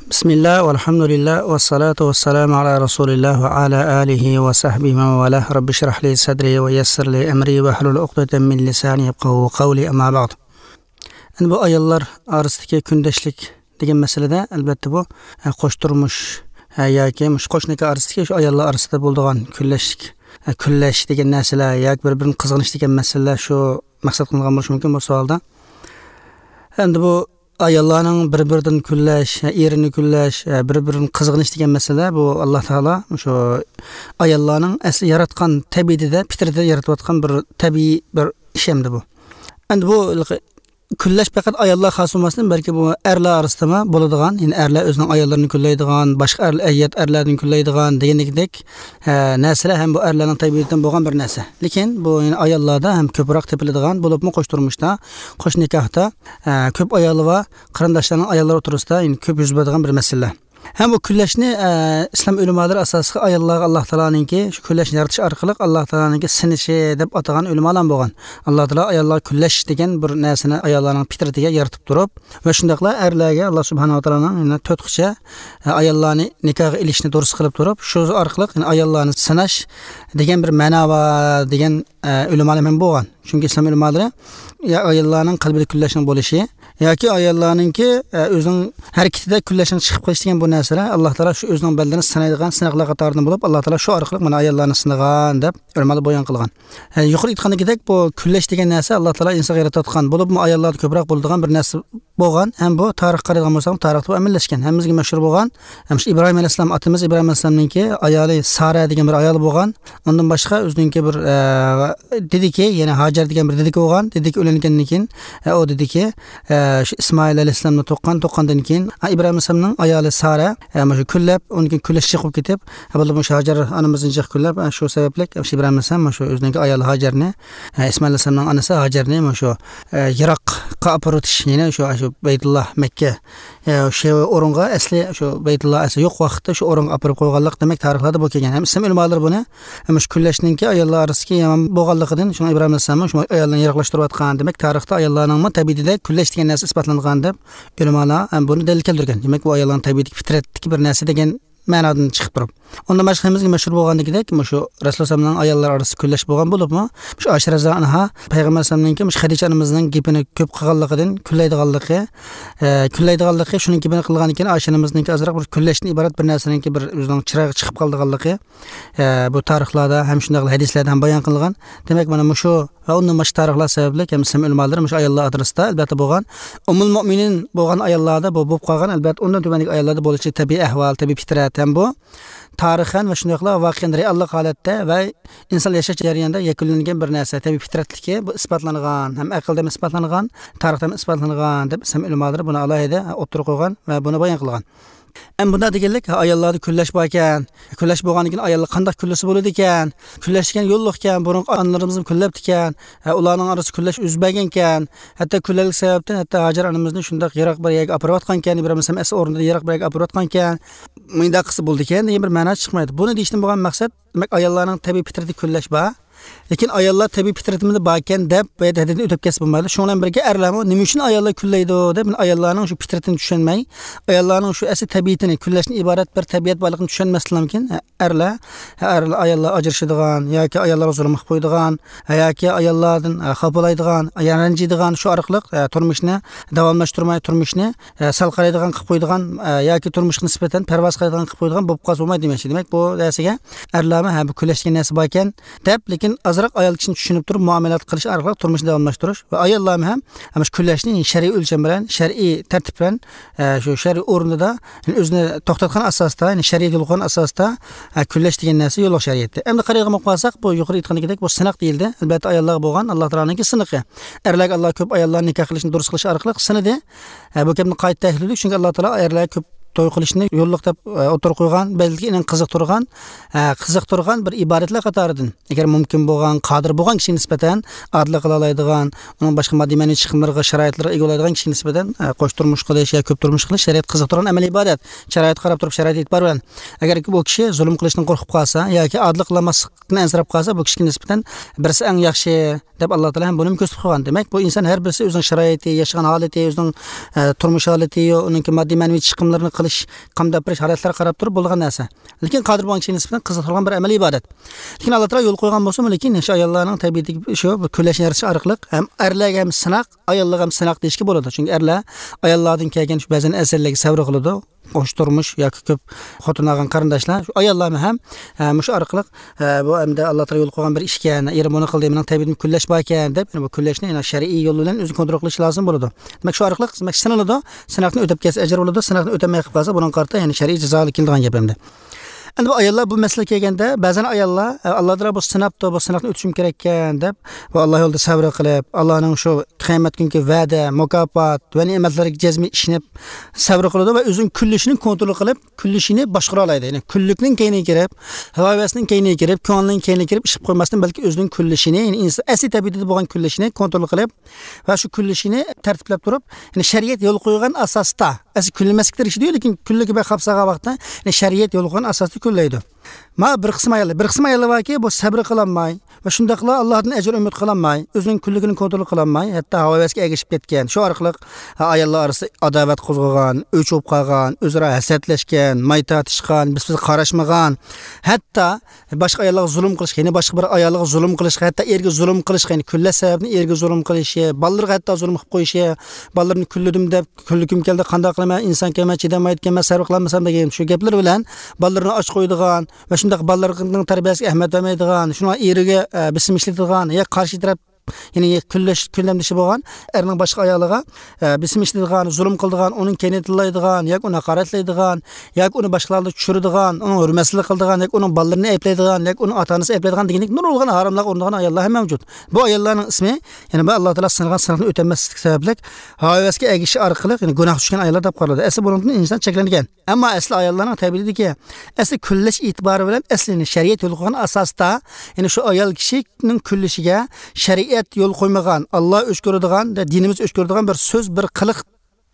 بىسمىللا، ۋەلھەمدۇلىللا، ۋەسسالاتۇ ۋەسسالامۇ ئالا رەسۇلىللا ۋە ئالا ئالىھى ۋە سەھبىھى ۋە مەن ۋالاھ. رەببىشرەھ لى سەدرى ۋە يەسسىر لى ئەمرى ۋەھلۇل ئۇقدەتەم مىن لىسانى يەپقەھۇ قەۋلى، ئەمما بەئد. ئەمدى بۇ ئاياللار ئارىسىدىكى كۈندەشلىك دېگەن مەسىلىدە، ئەلۋەتتە، بۇ، ئە، قوش تۇرمۇش، ئە، ياكى مۇشۇ قوش نىكاھ ئارىسىدىكى شۇ ئاياللار ئارىسىدا بولىدىغان كۈنلەشلىك، ئە، كۈنلەش دېگەن نەرسىلەر ياكى بىر-بىرىنى قىزغىنىش دېگەن مەسىلىلەر شۇ مەقسەت قىلىنغان بولۇشى مۇمكىن بۇ سوئالدا. ئەمدى بۇ ئاياللارنىڭ بىر-بىرىدىن كۈنلەش، ئېرىنى كۈنلەش، بىر-بىرىنى قىزغىنىش دېگەن مەسىلە، بۇ ئاللا تائالا شۇ ئاياللارنىڭ ئەسلى ياراتقان تەبىئىتىدە، پىترىتىدە يارىتىۋاتقان بىر تەبىئىي بىر ئىش ئەمدى بۇ. ئەمدى بۇ كۈنلەش پەقەت ئاياللارغا خاس بولماستىن، بەلكى بۇ ئەرلەر ئارىسىدىمۇ بولىدىغان، يەنى ئەرلەر ئۆزىنىڭ ئاياللىرىنى كۈنلەيدىغان، باشقا ئەرلەر، ئەييات ئەرلەردىن كۈنلەيدىغان دېگەندەك، ھە، نەرسىلەر ھەم بۇ ئەرلەرنىڭ تەبىئىتىدىن بولغان بىر نەرسە. لېكىن بۇ، يەنى ئاياللاردا ھەم كۆپرەك تېپىلىدىغان، بولۇپمۇ قوش تۇرمۇشتا، قوش نىكاھتا، ھە، كۆپ ئايالى بار قېرىنداشلارنىڭ ئاياللىرى ئوتتۇرىسىدا، يەنى كۆپ يۈز بېرىدىغان بىر مەسىلە. ھەم بۇ كۈنلەشنى، ئە، ئىسلام ئۆلىمالىرى ئاساسلىقى ئاياللارغا ئاللا تائالانىڭكى شۇ كۈنلەشنى يارىتىش ئارقىلىق ئاللا تائالانىڭكى سىنىشى دەپ ئاتىغان ئۆلىمالار بولغان. ئاللا تائالا ئاياللارغا كۈنلەش دېگەن بىر نەرسىنى ئاياللارنىڭ پىترىتىگە يارىتىپ تۇرۇپ ۋە شۇنداقلا ئەرلەرگە ئاللا سۇبھانەھۇ ۋە تائالانىڭ يەنە تۆت قىچا، ئە، ئاياللارنى نىكاھقا ئېلىشنى دۇرۇس قىلىپ تۇرۇپ، شۇ ئارقىلىق يەنە ئاياللارنى سىناش دېگەن بىر مەنا بار دېگەن، ئە، ئۆلىمالار ھەم بولغان. چۈنكى ئىسلام ئۆلىمالىرى يا ئاياللارنىڭ قەلبىدە كۈنلەشنىڭ بولۇشى، ياكى ئاياللارنىڭكى، ئە، ئۆزىنىڭ ھەرىكىتىدە كۈنلەشنىڭ چىقىپ قېلىشى دېگەن بۇ نەرسىلەر ئاللا تائالا شۇ ئۆزىنىڭ بەندىلىرىنى سىنايدىغان سىناقلار قاتارىدىن بولۇپ، ئاللا تائالا شۇ ئارقىلىق مانا ئاياللارنى سىنىغان دەپ ئۆلىمالار بايان قىلغان. ئە، يۇقىرىدا ئېيتقاندىكىدەك، بۇ كۈنلەش دېگەن نەرسە ئاللا تائالا ئىنسانغا يارىتىۋاتقان بولۇپمۇ ئاياللاردا كۆپرەك بولىدىغان بىر نەرسە بولغان. ھەم بۇ تارىخقا قارايدىغان بولساق، تارىختا بۇ ئەمەللەشكەن. ھەممىمىزگە مەشھۇر بولغان، ھەم شۇ ئىبراھىم ئەلەيھىسسالام، ئاتىمىز ئىبراھىم ئەلەيھىسسالامنىڭكى ئايالى سارە دېگەن بىر ئايالى بولغان. ئۇندىن باشقا ئۆزىنىڭكى بىر، ئە، دېدىكى، يەنى ھاجەر دېگەن بىر دېدىكى بولغان. دېدىكى ئۆلگەندىن كېيىن، ئە، ئۇ دېدىكى، ئە، شۇ ئىسمائىل ئەلەيھىسسالامنى تۇغقان، تۇغقاندىن كېيىن، ئە، ئىبراھىم ئەلەيھىسسالامنىڭ ئايالى سارە، ئە، مۇشۇ كۈنلەپ، ئۇنىڭ كېيىن كۈنلەش جىق بولۇپ كېتىپ، ئە، بولدى مۇشۇ ھاجەر ئانىمىزنى جىق كۈنلەپ، ئە، شۇ سەۋەبلىك، ئە، شۇ ئىبراھىم ئەلەيھىسسالام مۇشۇ ئۆزىنىڭكى ئايالى ھاجەرنى، ئە، ئىسمائىل ئەلەيھىسسالامنىڭ ئانىسى ھاجەرنى مۇشۇ، ئە، يىراققا ئاپىرىۋېتىش، يەنى شۇ، شۇ بەيتۇللا، مەككە، ئە، شۇ ئورۇنغا ئەسلى شۇ بەيتۇللا ئەسلى يوق ۋاقىتتا شۇ ئورۇنغا ئاپىرىپ قويغانلىق دېمەك تارىخلاردا بۇ كەلگەن. ھەم ئىسلام ئۆلىمالىرى بۇنى، ھەم شۇ كۈنلەشنىڭكى ئاياللار ئارىسىدىكى يامان بولغانلىقىدىن، شۇڭا ئىبراھىم ئەلەيھىسسالاممۇ شۇ ئاياللارنى يىراقلاشتۇرۇۋاتقان. دېمەك، تارىختا ئاياللارنىڭمۇ تەبىئىتىدە كۈنلەش دېگەن نەرسە ئىسپاتلانغان دەپ ئۆلىمالار ھەم بۇنى دەلىل كەلتۈرگەن. دېمەك، بۇ ئاياللارنىڭ تەبىئىتىدىكى پىترەتتىكى بىر نەرسە دېگەن مەنادىن چىقىپ تۇرۇپ. ئۇندىن باشقا ھەممىمىزگە مەشھۇر بولغاندىكىدەك، مۇشۇ رەسۇل ئەلەيھىسسالامنىڭ ئاياللار ئارىسىدا كۈنلەش بولغان بولۇپمۇ، مۇشۇ ئائىشە رەزىياللاھۇ ئەنھا پەيغەمبەر ئەلەيھىسسالامنىڭكى مۇشۇ خەدىچە ئانىمىزنىڭ گېپىنى كۆپ قىلغانلىقىدىن، كۈنلەيدىغانلىقى، ئە، كۈنلەيدىغانلىقى، شۇنىڭ گېپىنى قىلغاندىن كېيىن ئائىشە ئانىمىزنىڭكى ئازراق بىر كۈنلەشتىن ئىبارەت بىر نەرسىنىڭكى بىر ئۆزىنىڭ چىرايىغا چىقىپ قالىدىغانلىقى، ئە، بۇ تارىخلاردا ھەم شۇنداقلا ھەدىسلەردە ھەم بايان قىلغان. دېمەك، مانا مۇشۇ ۋە ئۇندىن باشقا تارىخلار سەۋەبلىك ھەم ئىسلام ئۆلىمالىرى مۇشۇ ئاياللار ئارىسىدا، ئەلۋەتتە، بولغان ئۇممۇل مۆمىنىن بولغان ئاياللاردا بۇ بولۇپ قالغان، ئەلۋەتتە، ئۇندىن تۆۋەندىكى ئاياللاردا بولۇشى تەبىئىي ئەھۋال، تەبىئىي پىترەت ھەم بۇ تارىخەن ۋە شۇنداقلا ۋاقىئەن رېئاللىق ھالەتتە ۋە ئىنسان ياشاش جەريانىدا يەكۈنلەنگەن بىر نەرسە، تەبىئىي پىترەتلىكى، بۇ ئىسپاتلانغان، ھەم ئەقىلدە ھەم ئىسپاتلانغان، تارىختا ھەم ئىسپاتلانغان دەپ ئىسلام ئۆلىمالىرى بۇنى ئالاھىدە ئوتتۇرىغا قويغان ۋە بۇنى بايان قىلغان. ئەمما بۇنداق دېگەنلىك، ھە، ئاياللاردا كۈنلەش باركەن، كۈنلەش بولغاندىن كېيىن ئاياللار قانداق كۈنلىسە بولىدىكەن، كۈنلەش دېگەن يوللۇقكەن، بۇرۇنقى ئانىلىرىمىزمۇ كۈنلەپتىكەن، ھە، ئۇلارنىڭ ئارىسىدا كۈنلەش يۈز بەرگەنكەن، ھەتتا كۈنلەشلىك سەۋەبتىن ھەتتا ھاجەر ئانىمىزنى شۇنداق يىراق بىر يەرگە ئاپىرىۋاتقانكەن، بىر ئەمەس ئەمەس ئورنىدا يىراق بىر يەرگە ئاپىرىۋاتقانكەن، مۇنداق قىلسا بولىدىكەن دېگەن بىر مەنا چىقمايدۇ. بۇنى دېيىشتىن بولغان مەقسەت، دېمەك، ئاياللارنىڭ تەبىئىي پىترىتى كۈنلەش بار. لېكىن ئاياللار تەبىئىي پىترىتىمىزدە باركەن دەپ بۇ يەردە ھەددىدىن ئۆتۈپ كەتسە بولمايدۇ. شۇنىڭ بىلەن بىرگە، ئەرلەرمۇ نېمە ئۈچۈن ئاياللار كۈنلەيدۇ دەپ، ئاياللارنىڭ شۇ پىترىتىنى چۈشەنمەي، ئاياللارنىڭ شۇ ئەسلى تەبىئىتىنى، كۈنلەشتىن ئىبارەت بىر تەبىئەت بارلىقىنى چۈشەنمەسلىكىدىن كېيىن، ئەرلەر، ئەرلەر ئاياللار ئاجرىشىدىغان ياكى ئاياللارغا زۇلۇم قىلىپ قويىدىغان ياكى ئاياللاردىن خاپىلايدىغان، رەنجىيدىغان، شۇ ئارقىلىق تۇرمۇشنى داۋاملاشتۇرماي، تۇرمۇشنى سەل قارايدىغان قىلىپ قويىدىغان ياكى تۇرمۇشقا نىسبەتەن پەرۋاسىز قارايدىغان قىلىپ قويىدىغان بولۇپ قالسا بولمايدۇ دېمەكچى. دېمەك، بۇ نەرسىگە ئەرلەرمۇ، ھە، بۇ كۈنلەش دېگەن نەرسە باركەن دەپ، لېكىن ئازراق ئايال كىشىنى چۈشىنىپ تۇرۇپ مۇئامىلە قىلىش ئارقىلىق تۇرمۇشنى داۋاملاشتۇرۇش ۋە ئاياللارمۇ ھەم، ھەم شۇ كۈنلەشنى شەرئىي ئۆلچەم بىلەن، شەرئىي تەرتىپ بىلەن، ئە، شۇ شەرئىي ئورنىدا، يەنى ئۆزىنى توختاتقان ئاساستا، يەنى شەرىئەت يول قويغان ئاساستا، ئە، كۈنلەش دېگەن نەرسە يوللۇق شەرىئەتتە. ئەمدى قارايدىغان بولۇپ قالساق، بۇ يۇقىرى ئېيتقاندىكىدەك، بۇ سىناق دېيىلدى. ئەلۋەتتە، ئاياللارغا بولغان ئاللا تائالانىڭكى سىنىقى. ئەرلەرگە ئاللا كۆپ ئاياللارنى نىكاھ قىلىشنى دۇرۇس قىلىش ئارقىلىق سىنىدى. ئە، بۇ گەپنى قايتا تەھلىللىدۇق، چۈنكى ئاللا تائالا ئەرلەرگە كۆپ توي قىلىشنى يوللۇق دەپ، ئە، ئوتتۇرىغا قويغان، بەلكى ئېنىڭ قىزىقتۇرغان، ئە، قىزىقتۇرغان بىر ئىبادەتلەر قاتارىدىن. ئەگەر مۇمكىن بولغان، قادىر بولغان كىشىگە نىسبەتەن ئادىللىق قىلالايدىغان، ئۇنىڭ باشقا ماددىي مەنىۋى چىقىملىرىغا، شارائىتلىرىغا ئىگە بولالايدىغان كىشىگە نىسبەتەن، ئە، قوش تۇرمۇش قىلىش يا كۆپ تۇرمۇش قىلىش شەرىئەت قىزىقتۇرغان ئەمەلىي ئىبادەت. شارائىتقا قاراپ تۇرۇپ، شارائىت ئېتىبار بىلەن. ئەگەر بۇ كىشى زۇلۇم قىلىشتىن قورقۇپ قالسا ياكى ئادىللىق قىلالماسلىقتىن ئەنسىرەپ قالسا، بۇ كىشىگە نىسبەتەن بىرسى ئەڭ ياخشى دەپ ئاللا تائالا ھەم بۇنىمۇ كۆرسىتىپ قويغان. دېمەك، بۇ ئىنسان ھەر بىرسى ئۆزىنىڭ شارائىتى، ياشىغان ھالىتى، ئۆزىنىڭ، ئە، تۇرمۇش ھالىتى، ئۇنىڭكى ماددىي مەنىۋى چىقىملىرىنى قىلىش، قامداپ بېرىش ھالەتلىرىگە قاراپ تۇرۇپ بولىدىغان نەرسە. لېكىن قادىر بولغان كىشىگە نىسبەتەن قىزىقتۇرغان بىر ئەمەلىي ئىبادەت. لېكىن ئاللا تائالا يول قويغان بولسىمۇ، لېكىن شۇ ئاياللارنىڭ تەبىئىتىدىكى شۇ بىر كۈنلەشنى يارىتىش ئارقىلىق ھەم ئەرلەرگە ھەم سىناق، ئاياللارغا ھەم سىناق دېيىشكە بولىدۇ. چۈنكى ئەرلەر ئاياللاردىن كەلگەن شۇ بەزەن ئەزىيەتلەرگە سەۋر قىلىدۇ. قوش تۇرمۇش ياكى كۆپ خوتۇن ئالغان قېرىنداشلار، شۇ ئاياللارمۇ ھەم، ئە، مۇشۇ ئارقىلىق، ئە، بۇ ئەمدى ئاللا تائالا يول قويغان بىر ئىشكەن، ئېرىم بۇنى قىلدى، مېنىڭ تەبىئىتىم كۈنلەش باركەن دەپ، يەنە بۇ كۈنلەشنى يەنە شەرئىي يول بىلەن ئۆزىنى كونترول قىلىش لازىم بولىدۇ. دېمەك، شۇ ئارقىلىق، دېمەك، سىنىلىدۇ. سىناقتىن ئۆتۈپ كەتسە ئەجىر بولىدۇ، سىناقتىن ئۆتەلمەي قېلىپ قالسا، بۇنىڭغا قارىتا يەنە شەرئىي جازا كېلىدىغان گەپ ئەمدى. ئەمدى بۇ ئاياللار بۇ مەسىلىگە كەلگەندە، بەزەن ئاياللار، ئە، ئاللا تائالا بۇ سىناپتۇ، بۇ سىناقتىن ئۆتۈشۈم كېرەككەن دەپ، بۇ ئاللا يولىدا سەۋر قىلىپ، ئاللانىڭ شۇ قىيامەت كۈنكى ۋەدە، مۇكاپات ۋە نېمەتلىرىگە جەزمەن ئىشىنىپ سەۋر قىلىدۇ ۋە ئۆزىنىڭ كۈنلىشىنى كونترول قىلىپ، كۈنلىشىنى باشقۇرالايدۇ. يەنى كۈنلۈكنىڭ كەينىگە كىرىپ، ھاۋا ھەۋەسنىڭ كەينىگە كىرىپ، كۆڭۈلنىڭ كەينىگە كىرىپ ئىش قىلىپ قويماستىن، بەلكى ئۆزىنىڭ كۈنلىشىنى، يەنى ئىنسان ئەسلى تەبىئىتىدە بولغان كۈنلىشىنى كونترول قىلىپ ۋە شۇ كۈنلىشىنى تەرتىپلەپ تۇرۇپ، يەنى شەرىئەت يول قويغان ئاساستا، ئەسلى كۈنلىمەسلىك تىرىشىدۇ، لېكىن كۈنلۈكى بەك خاپسالغان ۋاقىتتا، يەنى شەرىئەت يول قويغان ئاساستا كۈنلەيدۇ. ما بىر قىسىم ئاياللار، بىر قىسىم ئاياللار باركى، بۇ سەبرى قىلالماي ۋە شۇنداقلا ئاللادىن ئەجىر ئۈمىد قىلالماي، ئۆزىنىڭ كۈنلۈكىنى كونترول قىلالماي، ھەتتا ھاۋا ھەۋەسكە ئەگىشىپ كەتكەن. شۇ ئارقىلىق، ھە، ئاياللار ئارىسىدا ئاداۋەت قوزغىغان، ئۆچ بولۇپ قالغان، ئۆزئارا ھەسەتلەشكەن، ماي تارتىشقان، بىر-بىرىگە قاراشمىغان، ھەتتا باشقا ئاياللارغا زۇلۇم قىلىش، يەنە باشقا بىر ئايالغا زۇلۇم قىلىش، ھەتتا ئېرىگە زۇلۇم قىلىش، يەنى كۈنلەش سەۋەبىدىن ئېرىگە زۇلۇم قىلىشى، بالىلىرىغا ھەتتا زۇلۇم قىلىپ قويۇشى، بالىلىرىمنى كۈنلىدىم دەپ، كۈنلۈكۈم كەلدى، قانداق قىلىمەن، ئىنسان كەلمەي چىدىيالمايدىكەنمەن، سەۋر قىلالمىسام دېگەن شۇ گەپلىرى بىلەن بالىلىرىنى ئاچ قويىدىغان ۋە شۇنداق بالىلىرىنىڭ تەربىيەسىگە ئەھمىيەت بەرمەيدىغان، شۇڭا ئېرىگە، ئە، بېسىم ئىشلىتىدىغان، يا قارشى تەرەپ، يەنى كۈنلەش، كۈنلەمدىشى بولغان ئەرنىڭ باشقا ئايالىغا، ئە، بېسىم ئىشلىتىدىغان، زۇلۇم قىلىدىغان، ئۇنىڭ كەينىدىن تىللايدىغان ياكى ئۇنى ھاقارەتلەيدىغان ياكى ئۇنى باشقىلاردا چۈشۈرىدىغان، ئۇنىڭ ھۆرمەتسىزلىك قىلىدىغان ياكى ئۇنىڭ بالىلىرىنى ئەيىبلەيدىغان ياكى ئۇنىڭ ئاتا-ئانىسىنى ئەيىبلەيدىغان دېگەندەك نۇرغۇنلىغان ھاراملارغا ئۇرۇنىدىغان ئاياللار ھەم مەۋجۇت. بۇ ئاياللارنىڭ ئىسمى، يەنى بۇ ئاللا تائالا سىنىغان سىناقنى ئۆتەلمەسلىك سەۋەبلىك ھاۋا ھەۋەسكە ئەگىشىش ئارقىلىق، يەنى گۇناھقا چۈشكەن ئاياللار دەپ قارىلىدۇ. ئەسلى بۇنىڭدىن ئىنسان چەكلەنگەن. ئەمما ئەسلى ئاياللارنىڭ تەبىئىتىدىكى ئەسلى كۈنلەش ئېتىبارى بىلەن ئەسلى، يەنى شەرىئەت يول قويغان ئاساستا، يەنى شۇ ئايال كىشىنىڭ كۈنلىشىگە شەرىئەت يول قويمىغان، ئاللا ئۆچ كۆرىدىغان، دىنىمىز ئۆچ كۆرىدىغان بىر سۆز، بىر قىلىق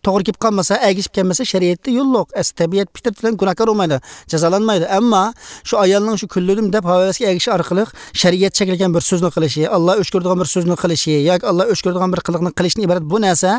توغرا كېلىپ قالمىسا، ئەگىشىپ كەلمىسە، شەرىئەتتە يول يوق. ئەسلى تەبىئەت، پىترىتى بىلەن گۇناھكار بولمايدۇ، جازالانمايدۇ. ئەمما شۇ ئايالنىڭ شۇ كۈنلىدىم دەپ ھاۋا-ھەۋەسكە ئەگىشىش ئارقىلىق شەرىئەت چەكلىگەن بىر سۆزنى قىلىشى، ئاللا ئۆچ كۆرىدىغان بىر سۆزنى قىلىشى ياكى ئاللا ئۆچ كۆرىدىغان بىر قىلىقنى قىلىشتىن ئىبارەت بۇ نەرسە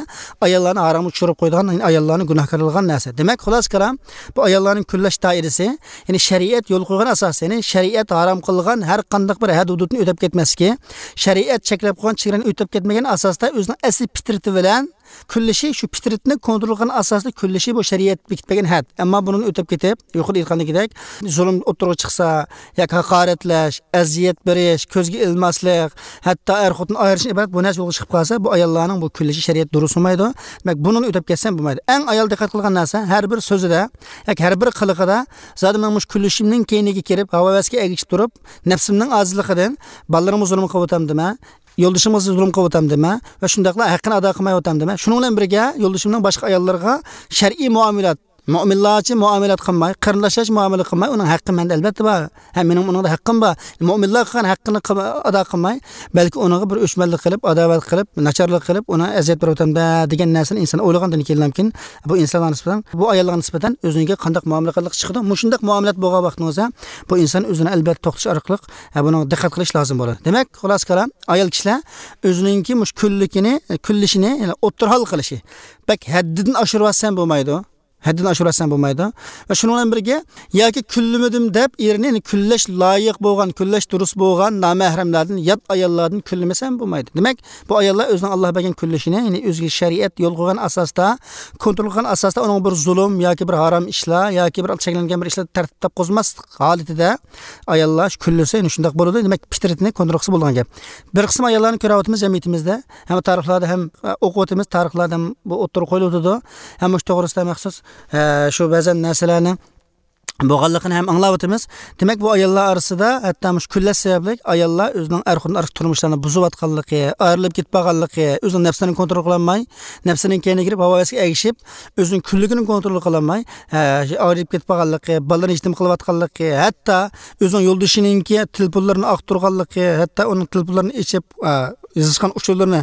ئاياللارنى ھارامغا چۈشۈرۈپ قويىدىغان، يەنى ئاياللارنى گۇناھكار قىلغان نەرسە. دېمەك، خۇلاسە كالام، بۇ ئاياللارنىڭ كۈنلەش دائىرىسى، يەنى شەرىئەت يول قويغان ئاساس، يەنى شەرىئەت ھارام قىلغان ھەر قانداق بىر ھەد ھۇدۇدنى ئۆتەپ كەتمەسلىكى، شەرىئەت چەكلەپ قويغان چېگرانى ئۆتەپ كەتمىگەن ئاساستا ئۆزىنىڭ ئەسلى پىترىتى بىلەن كۈنلىشى، شۇ پىترىتىنى كونترول قىلغان ئاساستا كۈنلىشى بۇ شەرىئەت بېكىتىپ بەرگەن ھەد. ئەمما بۇنىڭدىن ئۆتۈپ كېتىپ، يۇقىرىدا ئېيتقاندىكىدەك، زۇلۇم ئوتتۇرىغا چىقسا، ياكى ھاقارەتلەش، ئەزىيەت بېرىش، كۆزگە ئىلماسلىق، ھەتتا ئەر-خوتۇن ئايرىشىشتىن ئىبارەت بۇ نەرسە يولغا چىقىپ قالسا، بۇ ئاياللارنىڭ بۇ كۈنلىشى شەرىئەت دۇرۇس بولمايدۇ. دېمەك، بۇنىڭدىن ئۆتۈپ كەتسەم بولمايدۇ. ئەڭ ئايال دىققەت قىلغان نەرسە، ھەر بىر سۆزىدە ياكى ھەر بىر قىلىقىدا، زادى مەن مۇشۇ كۈنلىشىمنىڭ كەينىگە كىرىپ، ھاۋا-ھەۋەسكە ئەگىشىپ تۇرۇپ، نەپسىمنىڭ ئاجىزلىقىدىن بالىلىرىمغا زۇلۇم قىلىۋاتامدىمەن، يولدىشىمغا زۇلۇم قىلىۋاتامدىمەن ۋە شۇنداقلا ھەققىنى ئادا قىلمايۋاتامدىمەن. شۇنىڭ بىلەن بىرگە، يولدىشىمنىڭ باشقا ئاياللىرىغا شەرئىي مۇئامىلات، مۆمىنلارچە مۇئامىلەت قىلماي، قېرىنداشلارچە مۇئامىلە قىلماي، ئۇنىڭ ھەققى مەندە ئەلۋەتتە بار. ھە، مېنىڭ ئۇنىڭدا ھەققىم بار. مۆمىنلار قىلغان ھەققىنى قىل-، ئادا قىلماي، بەلكى ئۇنىڭغا بىر ئۆچمەنلىك قىلىپ، ئاداۋەت قىلىپ، ناچارلىق قىلىپ، ئۇنى ئەزىيەت بېرىۋاتامدە دېگەن نەرسىنى ئىنسان ئويلىغاندىن كېيىنلامكىن، بۇ ئىنسانلارغا نىسبەتەن، بۇ ئاياللارغا نىسبەتەن ئۆزىنىڭكى قانداق مۇئامىلە قىلىدىغانلىقى چىقىدۇ. مۇشۇنداق مۇئامىلەت بولغان ۋاقتىڭىزدا، بۇ ئىنسان ئۆزىنى ئەلۋەتتە توختىتىش ئارقىلىق، ھە، بۇنىڭغا دىققەت قىلىش لازىم بولىدۇ. دېمەك، خۇلاسە كالام، ئايال كىشىلەر ئۆزىنىڭكى مۇشۇ كۈنلۈكىنى، كۈنلىشىنى، يەنى ئوتتۇرىغا قىلىشى، بەك ھەددىدىن ئاشۇرۇۋەتسەم بولمايدۇ. ھەددىدىن ئاشۇرۇۋەتسەم بولمايدۇ. ۋە شۇنىڭ بىلەن بىرگە، ياكى كۈنلىمىدىم دەپ ئېرىنى، يەنى كۈنلەش لايىق بولغان، كۈنلەش دۇرۇس بولغان نامەھرەملەردىن، يات ئاياللاردىن كۈنلىمىسەم بولمايدۇ. دېمەك، بۇ ئاياللار ئۆزىنىڭ ئاللا بەرگەن كۈنلىشىنى، يەنى ئۆزىگە شەرىئەت يول قويغان ئاساستا، كونترول قىلغان ئاساستا ئۇنىڭغا بىر زۇلۇم ياكى بىر ھارام ئىشلار ياكى بىر چەكلەنگەن بىر ئىشلار تەرتىپ قوزماسلىق ھالىتىدە ئاياللار شۇ كۈنلىسە، يەنى شۇنداق بولىدۇ. دېمەك، پىترىتىنى كونترول قىلسا بولىدىغان گەپ. بىر قىسىم ئاياللارنى كۆرۈۋاتىمىز جەمئىيىتىمىزدە، ھەم تارىخلاردا ھەم، ئە، ئوقۇۋاتىمىز، تارىخلاردا ھەم بۇ ئوتتۇرىغا قويۇلۇۋاتىدۇ. ھەم مۇشۇ توغرىسىدا مەخسۇس، ئە، شۇ بەزەن نەرسىلەرنىڭ بولغانلىقىنى ھەم ئاڭلاۋاتىمىز. دېمەك، بۇ ئاياللار ئارىسىدا ھەتتا مۇشۇ كۈنلەش سەۋەبلىك ئاياللار ئۆزىنىڭ ئەر-خوتۇن ئارىسىدىكى تۇرمۇشلارنى بۇزۇۋاتقانلىقى، ئايرىلىپ كېتىپ قالغانلىقى، ئۆزىنىڭ نەپسىنى كونترول قىلالماي، نەپسىنىڭ كەينىگە كىرىپ، ھاۋا-ھەۋەسكە ئەگىشىپ، ئۆزىنىڭ كۈنلۈكىنى كونترول قىلالماي، ھە، ئايرىلىپ كېتىپ قالغانلىقى، بالىلىرىنى يېتىم قىلىۋاتقانلىقى، ھەتتا ئۆزىنىڭ يولدىشىنىڭكى تېلېفونلىرىنى ئاختۇرغانلىقى، ھەتتا ئۇنىڭ تېلېفونلىرىنى ئېچىپ، ئە، يېزىشقان ئۇچۇرلىرىنى،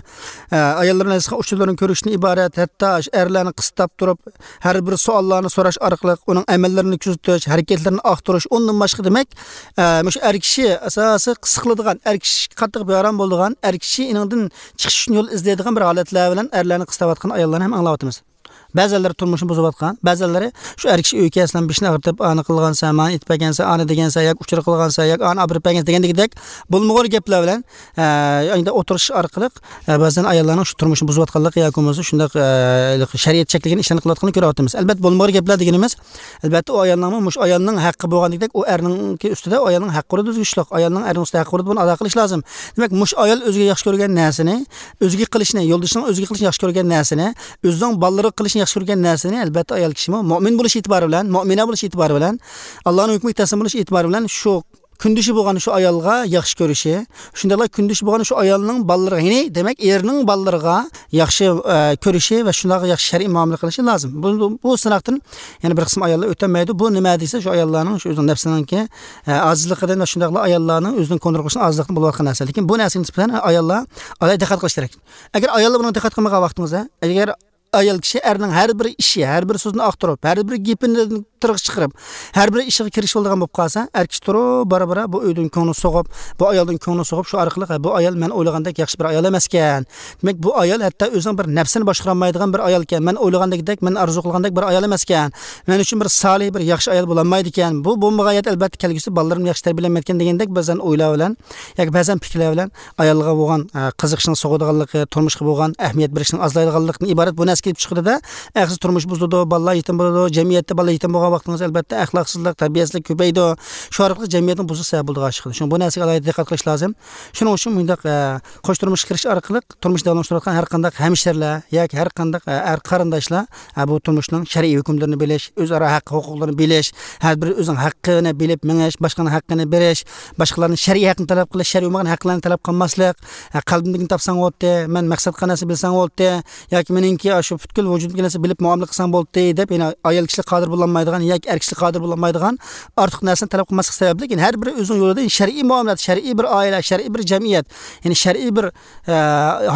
ئە، ئاياللىرىنىڭ يېزىشقان ئۇچۇرلىرىنى كۆرۈشتىن ئىبارەت، ھەتتا شۇ ئەرلەرنى قىستاپ تۇرۇپ، ھەر بىر سوئاللارنى سوراش ئارقىلىق ئۇنىڭ ئەمەللىرىنى كۆزىتىش، ھەرىكەتلىرىنى ئاختۇرۇش، ئۇندىن باشقا، دېمەك، ئە، مۇشۇ ئەر كىشى ئاساسىي قىستىلىدىغان، ئەر كىشىگە قاتتىق بىئارام بولىدىغان، ئەر كىشى ئېنىڭدىن چىقىش ئۈچۈن يول ئىزدەيدىغان بىر ھالەتلەر بىلەن ئەرلەرنى قىستاۋاتقان ئاياللارنى ھەم ئاڭلاۋاتىمىز. بەزىلەرلىرى تۇرمۇشىنى بۇزۇۋاتقان، بەزىلەرلىرى شۇ ئەر كىشى ئۆيگە كەلسىلا بېشىنى ئاغرىتىپ، ئانى قىلغانسەن، مانى ئېيتىپ بەرگەنسەن، ئانى دېگەنسەن، ياكى ئۇچۇر قىلغانسەن، ياكى ئانى ئاپىرىپ بەرگەنسەن دېگەندەك بولمىغۇر گەپلەر بىلەن، ئە، ئەندى ئوتتۇرىشىش ئارقىلىق، ئە، بەزەن ئاياللارنىڭ شۇ تۇرمۇشىنى بۇزۇۋاتقانلىقى ياكى بولمىسا شۇنداق، ئە، شەرىئەت چەكلىگەن ئىشلارنى قىلىۋاتقانلىقىنى كۆرۈۋاتىمىز. ئەلۋەتتە، بولمىغۇر گەپلەر دېگىنىمىز، ئەلۋەتتە، ئۇ ئايالنىڭمۇ مۇشۇ ئايالنىڭ ھەققى بولغاندەك، ئۇ ئەرنىڭكى ئۈستىدە، ئۇ ئايالنىڭ ھەققى بولىدۇ، ئۆزگىچىلىك. ئايالنىڭ ئەرنىڭ ئۈستىدە ھەققى بولىدۇ، بۇنى ئادا قىلىش لازىم. دېمەك، مۇشۇ ئايال ئۆزىگە ياخشى كۆرگەن نەرسىنى، ئۆزىگە قىلىشنى، يولدىشىنىڭ ئۆزىگە قىلىشنى ياخشى كۆرگەن نەرسىنى، ئۆزىنىڭ بالىلىرىغا قىلىشنى ياخشى كۆرگەن نەرسىنى، ئەلۋەتتە، ئايال كىشىمۇ مۆمىن بولۇش ئېتىبارى بىلەن، مۆمىنە بولۇش ئېتىبارى بىلەن، ئاللانىڭ ھۆكمىگە تەسلىم بولۇش ئېتىبارى بىلەن شۇ كۈندىشى بولغان شۇ ئايالغا ياخشى كۆرۈشى، شۇنداقلا كۈندىشى بولغان شۇ ئايالنىڭ بالىلىرىغا، يەنى دېمەك، ئېرىنىڭ بالىلىرىغا ياخشى، ئە، كۆرۈشى ۋە شۇنداق ياخشى شەرئىي مۇئامىلە قىلىشى لازىم. بۇ، بۇ سىناقتىن يەنە بىر قىسىم ئاياللار ئۆتەلمەيدۇ. بۇ نېمە دېسە، شۇ ئاياللارنىڭ شۇ ئۆزىنىڭ نەپسىنىڭكى، ئە، ئاجىزلىقىدىن ۋە شۇنداقلا ئاياللارنىڭ ئۆزىنى كونترول قىلىشىنىڭ ئاجىزلىقىدىن بولۇۋاتقان نەرسە. لېكىن بۇ نەرسىگە نىسبەتەن ئاياللار ئالاھىدە دىققەت قىلىش كېرەك. ئەگەر ئاياللار بۇنىڭغا دىققەت قىلمىغان ۋاقتىڭىزدا، ئەگەر ئايال كىشى ئەرنىڭ ھەر بىر ئىشى، ھەر بىر سۆزىنى ئاختۇرۇپ، ھەر بىر گېپىنى تىرىغا چىقىرىپ، ھەر بىر ئىشىغا كىرىشىۋالىدىغان بولۇپ قالسا، ئەر كىشى تۇرۇپ، بارا-بارا بۇ ئۆيدىن كۆڭلى سوغۇپ، بۇ ئايالدىن كۆڭلى سوغۇپ، شۇ ئارقىلىق، «ھە، بۇ ئايال مەن ئويلىغاندەك ياخشى بىر ئايال ئەمەسكەن. دېمەك، بۇ ئايال ھەتتا ئۆزىنىڭ بىر نەپسىنى باشقۇرالمايدىغان بىر ئايالكەن. مەن ئويلىغاندەكدەك، مەن ئارزۇ قىلغاندەك بىر ئايال ئەمەسكەن. مەن ئۈچۈن بىر سالىھ، بىر ياخشى ئايال بولالمايدىكەن. بۇ بولمىغان يەردە، ئەلۋەتتە، كەلگۈسىدە بالىلىرىمنى ياخشى تەربىيەلەلمەيدىكەن» دېگەندەك بەزەن ئويلار بىلەن ياكى بەزەن پىكىرلەر بىلەن ئايالغا بولغان، ئە، قىزىقىشنىڭ سوغىدىغانلىقى، تۇرمۇشقا بولغان ئەھمىيەت بېرىشنىڭ ئازلايدىغانلىقىدىن ئىبارەت بۇ نەرسە كېلىپ چىقىدۇ-دە، ئەخسىز تۇرمۇش بۇزۇلىدۇ، بالىلار يېتىم بولىدۇ، جەمئىيەتتە بالىلار يېتىم بولغان ۋاقتىڭىزدا، ئەلۋەتتە، ئەخلاقسىزلىق، تەربىيەسىزلىك كۆپىيىدۇ. شۇ ئارقىلىق جەمئىيەتنىڭ بۇزۇلۇش سەۋەب بولىدىغان ئىش چىقىدۇ. شۇڭا بۇ نەرسىگە ئالاھىدە دىققەت قىلىش لازىم. شۇنىڭ ئۈچۈن مۇنداق، ئە، قوش تۇرمۇشقا كىرىش ئارقىلىق تۇرمۇش داۋاملاشتۇرۇۋاتقان ھەر قانداق ھەمشىرىلەر ياكى ھەر قانداق، ئە، ئەر قېرىنداشلار، ئە، بۇ تۇرمۇشنىڭ شەرئىي ھۆكۈملىرىنى بىلىش، ئۆزئارا ھەق ھوقۇقلىرىنى بىلىش، ھەر بىرى ئۆزىنىڭ ھەققىنى بىلىپ مېڭىش، باشقىنىڭ ھەققىنى بېرىش، باشقىلارنىڭ شەرئىي ھەققىنى تەلەپ قىلىش، شەرئىي بولمىغان ھەقلەرنى تەلەپ قىلماسلىق، ھە، قەلبىمدىكىنى تاپساڭ بولدى، مەن مەقسەت قىلغان نەرسە بىلسەڭ بولدى، ياكى مېنىڭكى ئاشۇ پۈتكۈل ۋۇجۇدۇمدىكى نەرسە بىلىپ مۇئامىلە قىلساڭ بولدى دەپ، يەنە ئايال كىشىلەر قادىر بولالمايدىغان ياكى ئەر كىشىلەر قادىر بولالمايدىغان ئارتۇق نەرسىنى تەلەپ قىلماسلىق سەۋەبلىك، يەنى ھەر بىرى ئۆزىنىڭ يولىدا شەرئىي مۇئامىلات، شەرئىي بىر ئائىلە، شەرئىي بىر جەمئىيەت، يەنى شەرئىي بىر، ئە،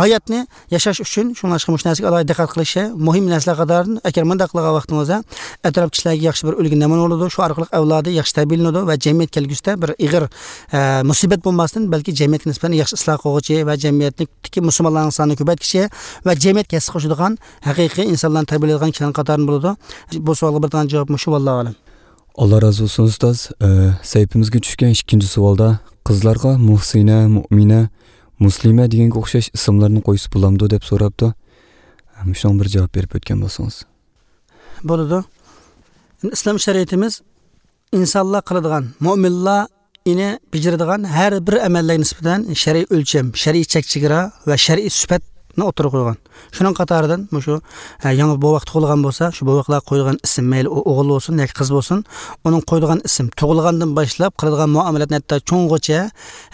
ھاياتنى ياشاش ئۈچۈن شۇڭلاشقا مۇشۇ نەرسىگە ئالاھىدە دىققەت قىلىشى مۇھىم نەرسىلەر قاتارىدىن. ئەگەر مۇنداق قىلغان ۋاقتىڭىزدا ئەتراپ كىشىلەرگە ياخشى بىر ئۈلگە نەمۇنە بولىدۇ، شۇ ئارقىلىق ئەۋلادى ياخشى تەربىيەلىنىدۇ ۋە جەمئىيەت كەلگۈسىدە بىر ئېغىر، ئە، مۇسىبەت بولماستىن، بەلكى جەمئىيەتكە نىسبەتەن ياخشى ئىسلاھ قىلغۇچى ۋە جەمئىيەتتىكى مۇسۇلمانلارنىڭ سانىنى كۆپەيتكۈچى ۋە جەمئىيەتكە ھەسسە قوشىدىغان ھەقىقىي ئىنسانلارنى تەربىيەلەيدىغان كىشىلەرنىڭ قاتارىدىن بولىدۇ. بۇ سوئالغا بېرىدىغان جاۋاب مۇشۇ، ۋاللاھۇ ئەلەم. ئاللا رازى بولسۇن، ئۇستاز. ئە، سەھىپىمىزگە چۈشكەن ئىككىنچى سوئالدا، قىزلارغا مۇھسىنە، مۇئمىنە، مۇسلىمە دېگەنگە ئوخشاش ئىسىملارنى قويسا بولامدۇ دەپ سوراپتۇ. ئە، مۇشۇنىڭغا بىر جاۋاب بېرىپ ئۆتكەن بولسىڭىز. بولىدۇ. ئىسلام شەرىئىتىمىز ئىنسانلار قىلىدىغان، مۇئمىنلار ئىنى بېجىرىدىغان ھەر بىر ئەمەللەرگە نىسبەتەن شەرئىي ئۆلچەم، شەرئىي چەك چېگرا ۋە شەرئىي سۈپەتنى ئوتتۇرىغا قويغان. شۇنىڭ قاتارىدىن مۇشۇ، ھە، يېڭى بوۋاق تۇغۇلغان بولسا، شۇ بوۋاقلارغا قويىدىغان ئىسىم، مەيلى ئۇ ئوغۇل بولسۇن ياكى قىز بولسۇن، ئۇنىڭ قويىدىغان ئىسىم، تۇغۇلغاندىن باشلاپ قىلىدىغان مۇئامىلەتنى ھەتتا چوڭغىچە،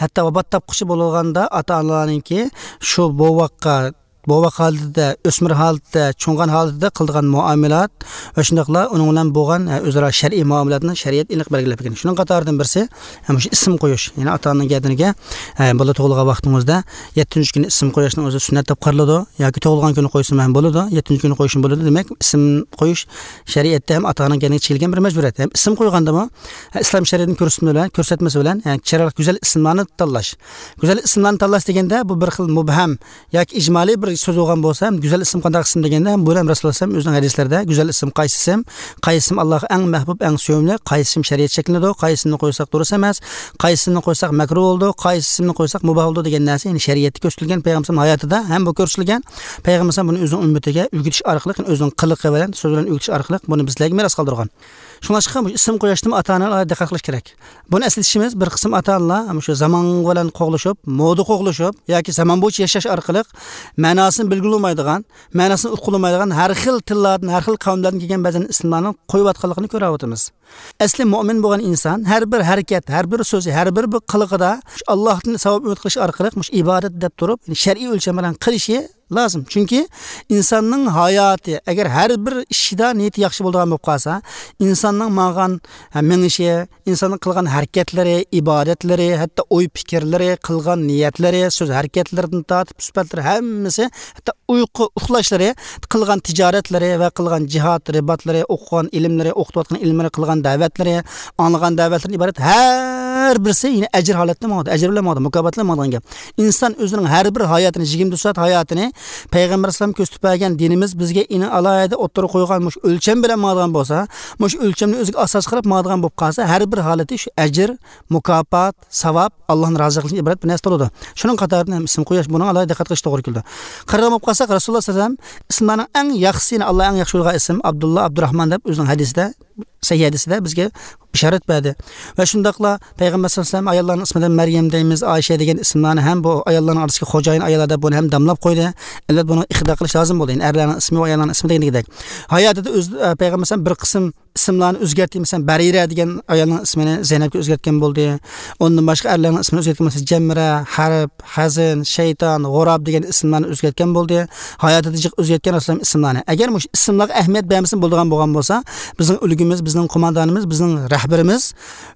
ھەتتا ۋاپات تاپقۇچە بولغاندا ئاتا-ئانىلارنىڭكى شۇ بوۋاققا، بوۋاق ھالىتىدە، ئۆسمۈر ھالىتىدە، چوڭغان ھالىتىدە قىلىدىغان مۇئامىلات ۋە شۇنداقلا ئۇنىڭ بىلەن بولغان، ھە، ئۆزئارا شەرئىي مۇئامىلاتنى شەرىئەت ئېنىق بەلگىلەپ بەرگەن. شۇنىڭ قاتارىدىن بىرسى، ھە، مۇشۇ ئىسىم قويۇش. يەنى ئاتا-ئانىنىڭ گەدىنىگە، ھە، بالا تۇغۇلغان ۋاقتىڭىزدا يەتتىنچى كۈنى ئىسىم قويۇشنىڭ ئۆزى سۈننەت دەپ قارىلىدۇ. ياكى تۇغۇلغان كۈنى قويسىمۇ ھەم بولىدۇ، يەتتىنچى كۈنى قويسىمۇ بولىدۇ. دېمەك، ئىسىم قويۇش شەرىئەتتە ھەم ئاتا-ئانىنىڭ گەدىنىگە چېكىلگەن بىر مەجبۇرىيەت. ھەم ئىسىم قويغاندىمۇ، ھە، ئىسلام شەرىئىتىنىڭ كۆرسىتمە بىلەن، كۆرسەتمىسى بىلەن، ھە، چىرايلىق گۈزەل ئىسىملارنى تاللاش. گۈزەل ئىسىملارنى تاللاش دېگەندە، بۇ بىر خىل مۇبھەم ياكى ئىجمالىي بىر سۆز بولغان بولسا، گۈزەل ئىسىم قانداق ئىسىم دېگەندە، بۇ ھەم رەسۇلۇللا ئەلەيھىسسالام ئۆزىنىڭ ھەدىسلىرىدە، گۈزەل ئىسىم قايسى ئىسىم، قايسى ئىسىم ئاللاغا ئەڭ مەھبۇب، ئەڭ سۆيۈملۈك، قايسى ئىسىم شەرىئەت چەكلىنىدۇ، قايسى ئىسىمنى قويساق دۇرۇس ئەمەس، قايسى ئىسىمنى قويساق مەكرۇھ بولىدۇ، قايسى ئىسىمنى قويساق مۇباھ بولىدۇ دېگەن نەرسە، يەنى شەرىئەتتە كۆرسىتىلگەن، پەيغەمبەرنىڭ ھاياتىدا ھەم بۇ كۆرسىتىلگەن، پەيغەمبەر ئۇنى ئۆزىنىڭ ئۈممىتىگە ئۆگىتىش ئارقىلىق، يەنى ئۆزىنىڭ قىلىقى بىلەن، سۆزى بىلەن ئۆگىتىش ئارقىلىق بۇنى بىزلەرگە مىراس قالدۇرغان. شۇڭلاشقا مۇشۇ ئىسىم قويۇشتىمۇ ئاتا-ئانىلار دىققەت قىلىش كېرەك. بۇنى ئەسلىتىشىمىز، بىر قىسىم ئاتا-ئانىلار مۇشۇ زامان بىلەن قوغلىشىپ، مودا قوغلىشىپ ياكى زامان بويىچە ياشاش ئارقىلىق مەناسىنى بىلگىلى بولمايدىغان، مەناسىنى ئۇققىلى بولمايدىغان ھەر خىل تىللاردىن، ھەر خىل قەۋملەردىن كەلگەن بەزەن ئىسىملارنى قويۇۋاتقانلىقىنى كۆرۈۋاتىمىز. ئەسلى مۇئمىن بولغان ئىنسان ھەر بىر ھەرىكەت، ھەر بىر سۆزى، ھەر بىر، بىر قىلىقىدا شۇ ئاللاھتىن ساۋاب ئۈمىد قىلىش ئارقىلىق مۇشۇ ئىبادەت دەپ تۇرۇپ، شەرئىي ئۆلچەم بىلەن قىلىشى لازىم. چۈنكى ئىنساننىڭ ھاياتى، ئەگەر ھەر بىر ئىشىدا نىيىتى ياخشى بولىدىغان بولۇپ قالسا، ئىنساننىڭ ماڭغان، ھە، مېڭىشى، ئىنساننىڭ قىلغان ھەرىكەتلىرى، ئىبادەتلىرى، ھەتتا ئوي پىكىرلىرى، قىلغان نىيەتلىرى، سۆز ھەرىكەتلىرىدىن تارتىپ سۈپەتلىرى ھەممىسى، ھەتتا ئۇيقۇ، ئۇخلاشلىرى، قىلغان تىجارەتلىرى ۋە قىلغان جىھاد، رىباتلىرى، ئوقۇغان ئىلىملىرى، ئوقۇتۇۋاتقان ئىلىملىرى، قىلغان دەۋەتلىرى، ئاڭلىغان دەۋەتلىرىدىن ئىبارەت ھەر بىرسى يەنە ئەجىر ھالەتتە ماڭىدۇ، ئەجىر بىلەن ماڭىدۇ، مۇكاپات بىلەن ماڭىدىغان گەپ. ئىنسان ئۆزىنىڭ ھەر بىر ھاياتىنى، يىگىرمە تۆت سائەت ھاياتىنى پەيغەمبەر ئەلەيھىسسالام كۆرسىتىپ بەرگەن دىنىمىز بىزگە ئېنىق ئالاھىدە ئوتتۇرىغا قويغان مۇشۇ ئۆلچەم بىلەن ماڭىدىغان بولسا، مۇشۇ ئۆلچەمنى ئۆزىگە ئاساس قىلىپ ماڭىدىغان بولۇپ قالسا، ھەر بىر ھالىتى شۇ ئەجىر، مۇكاپات، ساۋاب، ئاللاھنىڭ رازىلىقىدىن ئىبارەت بىر نەرسە بولىدۇ. شۇنىڭ قاتارىدىن ھەم ئىسىم قويۇش، بۇنىڭغا ئالاھىدە دىققەت قىلىش توغرا كېلىدۇ. قارىغان بولۇپ قالساق، رەسۇلۇللا سەللەللاھۇ ئەلەيھى ۋەسەللەم ئىسىملارنىڭ ئەڭ ياخشىسىنى، ئاللا ئەڭ ياخشى بىلىدىغان ئىسىم ئابدۇللا، ئابدۇراھمان دەپ ئۆزىنىڭ ھەدىسىدە، سەھىھ ھەدىسىدە بىزگە بېشارەت بەردى. ۋە شۇنداقلا پەيغەمبەر سەللەللاھۇ ئەلەيھى ۋەسەللەم ئاياللارنىڭ ئىسمىدىن مەريەم دەيمىز، ئائىشە دېگەن ئىسىملارنى ھەم بۇ ئاياللارنىڭ ئارىسىدىكى خوجايىن ئاياللار دەپ بۇنى ھەم داملاپ قويدى. ئەلۋەتتە، بۇنىڭغا ئىقتىدا قىلىش لازىم بولدى. يەنى ئەرلەرنىڭ ئىسمى ۋە ئاياللارنىڭ ئىسمى دېگەندەك. ھاياتىدا ئۆز، پەيغەمبەر ئەلەيھىسسالام بىر قىسىم ئىسىملارنى ئۆزگەرتتى. مەسىلەن، بەرىرە دېگەن ئايالنىڭ ئىسمىنى زەينەپكە ئۆزگەرتكەن بولدى. ئۇندىن باشقا ئەرلەرنىڭ ئىسمىنى ئۆزگەرتكەن، مەسىلەن، جەمرە، ھەرب، ھەزىن، شەيتان، غۇراب دېگەن ئىسىملارنى ئۆزگەرتكەن بولدى. ھاياتىدا جىق ئۆزگەرتكەن رەسۇلۇللا ئىسىملارنى. ئەگەر مۇشۇ ئىسىملارغا ئەھمىيەت بەرمىسە بولىدىغان بولغان بولسا، بىزنىڭ ئۈلگىمىز، بىزنىڭ قوماندانىمىز، بىزنىڭ رەھبىرىمىز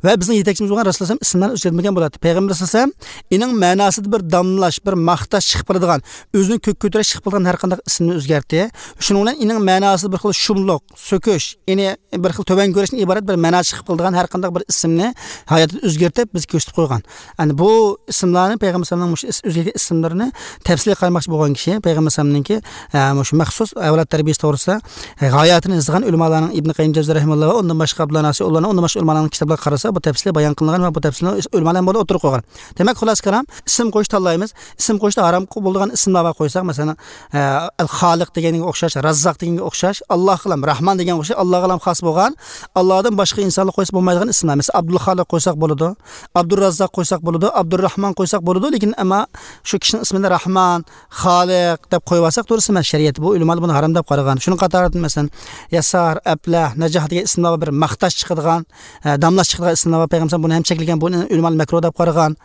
ۋە بىزنىڭ يېتەكچىمىز بولغان رەسۇلۇللا ئىسىملارنى ئۆزگەرتمىگەن بولاتتى. پەيغەمبەر ئەلەيھىسسالام ئېنىڭ مەناسىدا بىر داملاش، بىر ماختاش چىقىپ قالىدىغان، ئۆزىنى كۆككە كۆتۈرۈش چىقىپ قالىدىغان ھەر قانداق ئىسىمنى ئۆزگەرتتى. شۇنىڭ بىلەن ئېنىڭ مەناسىدا بىر خىل شۇملۇق، سۆكۈش، يەنى بىر خىل تۆۋەن كۆرۈشتىن ئىبارەت بىر مەنا چىقىپ قالىدىغان ھەر قانداق بىر ئىسىمنى ھاياتىدا ئۆزگەرتىپ، بىزگە كۆرسىتىپ قويغان. يەنى بۇ ئىسىملارنى، پەيغەمبەر ئەلەيھىسسالامنىڭ مۇشۇ ئىس-، ئۆزگەرتكەن ئىسىملىرىنى تەپسىلىي قارىماقچى بولغان كىشى، پەيغەمبەر ئەلەيھىسسالامنىڭكى، ئە، مۇشۇ مەخسۇس ئەۋلاد تەربىيەسى توغرىسىدا، ئە، ھاياتىنى يېزىغان ئۆلىمالارنىڭ ئىبن قەييىم جەۋزى رەھىمەھۇللا ۋە ئۇندىن باشقا ئابدۇللا ناسىر ئۇلارنىڭ، ئۇندىن باشقا ئۆلىمالارنىڭ كىتابلىرىغا قارىسا، بۇ تەپسىلىي بايان قىلىنغان ۋە بۇ تەپسىلىي ئۆلىمالار بۇنى ئوتتۇرىغا قويغان. دېمەك، خۇلاسە كالام، ئىسىم قويۇش تاللايمىز. ئىسىم قويۇشتا ھارام بولىدىغان ئىسىملار بار قويساق، مەسىلەن، ئە، ئەل خالىق دېگەنگە ئوخشاش، راززاق دېگەنگە ئوخشاش، ئاللاھقىلام، راھمان دېگەنگە ئوخشاش، ئاللاغىلام خاس بولغان، ئاللادىن باشقا ئىنسانلار قويسا بولمايدىغان ئىسىملار. مەسىلەن، ئابدۇل خالىق قويساق بولىدۇ، ئابدۇراززاق قويساق بولىدۇ، ئابدۇرراھمان قويساق بولىدۇ، لېكىن ئەمما شۇ كىشىنىڭ ئىسمىنى راھمان، خالىق دەپ قويۇۋالساق دۇرۇس ئەمەس، شەرىئەتتە بۇ ئۆلىمالار بۇنى ھارام دەپ قارىغان. شۇنىڭ قاتارىدىن، مەسىلەن، ياسار، ئەپلەھ، نەجاھ دېگەن ئىسىملار بار، بىر ماختاش چىقىدىغان، ئە، داملاش چىقىدىغان ئىسىملار بار. پەيغەمبەر بۇنى ھەم چەكلىگەن، بۇنى ئۆلىمالار مەكرۇھ دەپ قارىغان.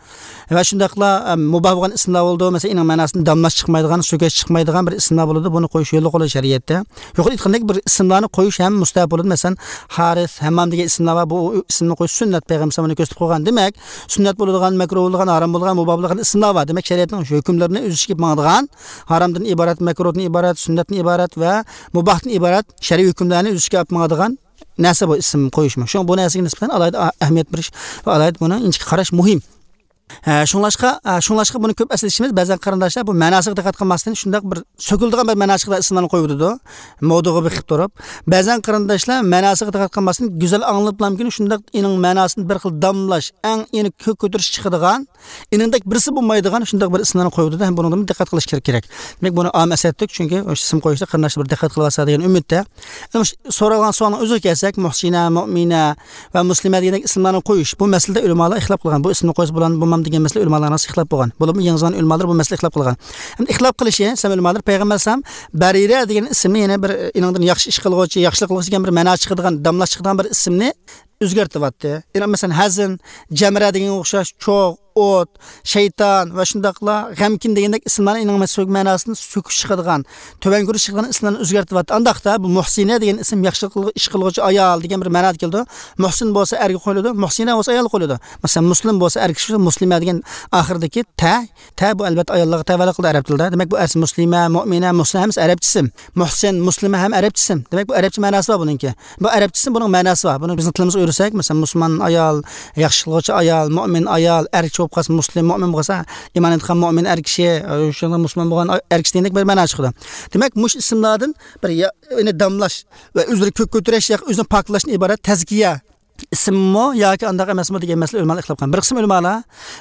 ۋە شۇنداقلا، ئە، مۇباھ بولغان ئىسىملار بولىدۇ. مەسىلەن، ئېنىڭ مەناسىدىن داملاش چىقمايدىغان، سۆكۈش چىقمايدىغان بىر ئىسىملار بولىدۇ. بۇنى قويۇش يوللۇق بولىدۇ شەرىئەتتە. يۇقىرىدا ئېيتقاندەك بىر ئىسىملارنى قويۇش ھەم مۇستەھەب بولىدۇ. مەسىلەن، ھارىس، ھەممام دېگەن ئىسىملار بار. بۇ ئىسىمنى قويۇش سۈننەت، پەيغەمبەر ئەلەيھىسسالام ئۇنى كۆرسىتىپ قويغان. دېمەك، سۈننەت بولىدىغان، مەكرۇھ بولىدىغان، ھارام بولىدىغان، مۇباھ بولىدىغان ئىسىملار بار. دېمەك، شەرىئەتنىڭ شۇ ھۆكۈملىرىنى ئۆز ئىچىگە ئېلىپ ماڭىدىغان، ھارامدىن ئىبارەت، مەكرۇھتىن ئىبارەت، سۈننەتتىن ئىبارەت ۋە مۇباھتىن ئىبارەت شەرئىي ھۆكۈملەرنى ئۆز ئىچىگە ئېلىپ ماڭىدىغان نەرسە بۇ ئىسىم قويۇشمۇ. شۇڭا بۇ نەرسىگە نىسبەتەن ئالاھىدە ئەھمىيەت بېرىش ۋە ئالاھىدە بۇنى ئىنچىكە قاراش مۇھىم. ھە، شۇڭلاشقا، ھە، شۇڭلاشقا بۇنى كۆپ ئەسلىتىشىمىز، بەزەن قېرىنداشلار بۇ مەناسىغا دىققەت قىلماستىن شۇنداق بىر سۆكۈلىدىغان بىر مەنا چىقىدىغان ئىسىملارنى قويۇۋېتىدۇ. مودا بېقىپ تۇرۇپ. بەزەن قېرىنداشلار مەناسىغا دىققەت قىلماستىن گۈزەل ئاڭلىنىپلامكىن شۇنداق ئېنىڭ مەناسىنى بىر خىل داملاش، ئەڭ ئېنى كۆك كۆتۈرۈش چىقىدىغان، ئېنىڭدەك بىرسى بولمايدىغان شۇنداق بىر ئىسىملارنى قويۇۋېتىدۇ ھەم بۇنىڭدىن دىققەت قىلىش كېرەك. دېمەك، بۇنى ئام ئەسلەتتۇق، چۈنكى ئىسىم قويۇشتا قېرىنداشلار بىر دىققەت قىلىۋالسا دېگەن ئۈمىدتە. ئەمما سورالغان سوئالنىڭ ئۆزىگە كەلسەك، مۇھسىنە، مۇئمىنە، ۋە مۇسلىمە دېگەندەك ئىسىملارنى قويۇش، بۇ مەسىلىدە ئۆلىمالار ئىختىلاپ قىلغان. بۇ ئىسىمنى قويسا بولامدۇ، بولمامدۇ دېگەن مەسىلە ئۆلىمالارنىڭ ئارىسىدا ئىختىلاپ بولغان. بولۇپمۇ يېڭى زامان ئۆلىمالىرى بۇ مەسىلىدە ئىختىلاپ قىلغان. ئەمدى ئىختىلاپ قىلىشى، سەن ئۆلىمالار پەيغەمبەر ئەلەيھىسسالام بەرىرە دېگەن ئىسىمنى يەنە بىر ئېنىڭدىن ياخشى ئىش قىلغۇچى، ياخشىلىق قىلغۇچى دېگەن بىر مەنا چىقىدىغان، داملاش چىقىدىغان بىر ئىسىمنى ئۆزگەرتىۋاتتى. يەنە مەسىلەن، ھەزىن، جەمرە دېگەنگە ئوخشاش، چوغ، ئوت، شەيتان ۋە شۇنداقلا غەمكىن دېگەندەك ئىسىملارنى ئېنىق مەسىلە مەناسىنى سۆكۈش چىقىدىغان، تۆۋەن كۆرۈش چىقىدىغان ئىسىملارنى ئۆزگەرتىۋاتتى. ئانداقتا بۇ مۇھسىنە دېگەن ئىسىم ياخشىلىق قىلغۇ-، ئىش قىلغۇچى ئايال دېگەن بىر مەنادا كېلىدۇ. مۇھسىن بولسا ئەرگە قويۇلىدۇ، مۇھسىنە بولسا ئايالغا قويۇلىدۇ. مەسىلەن، مۇسلىم بولسا ئەركىشى، مۇسلىمە دېگەن ئاخىرىدىكى تە، تە بۇ ئەلۋەتتە ئاياللارغا تەۋەلىك قىلىدۇ ئەرەب تىلىدا. دېمەك، بۇ ئەرسى مۇسلىمە، مۇئمىنە، مۇھسىنە ھەممىسى ئەرەبچە ئىسىم. مۇھسىن، مۇسلىمە ھەم ئەرەبچە ئىسىم. دېمەك، بۇ ئەرەبچە مەناسى بار بۇنىڭكى. بۇ ئەرەبچە ئىسىم، بۇنىڭ مەناسى بار. بۇنى بىزنىڭ تىلىمىزغا ئۆرۈسەك، مەسىلەن، مۇسۇلمان ئايال، ياخشى قىلغۇچى ئايال، مۇئمىن ئايال، ئەركىشى بولۇپ قالسا مۇسلىم، مۇئمىن بولسا ئىمان ئېيتقان مۇئمىن ئەركىشى، شۇنداق مۇسۇلمان بولغان ئەركىشى دېگەندەك بىر مەنا چىقىدۇ. دېمەك، مۇشۇ ئىسىملاردىن بىر يا-، يەنى داملاش ۋە ئۆزىنى كۆك كۆتۈرۈش ياكى ئۆزىنى پاكلاشتىن ئىبارەت تەزكىيە ئىسىممۇ ياكى ئانداق ئەمەسمۇ دېگەن مەسىلە ئۆلىمالار ئىختىلاپ قىلغان. بىر قىسىم ئۆلىمالار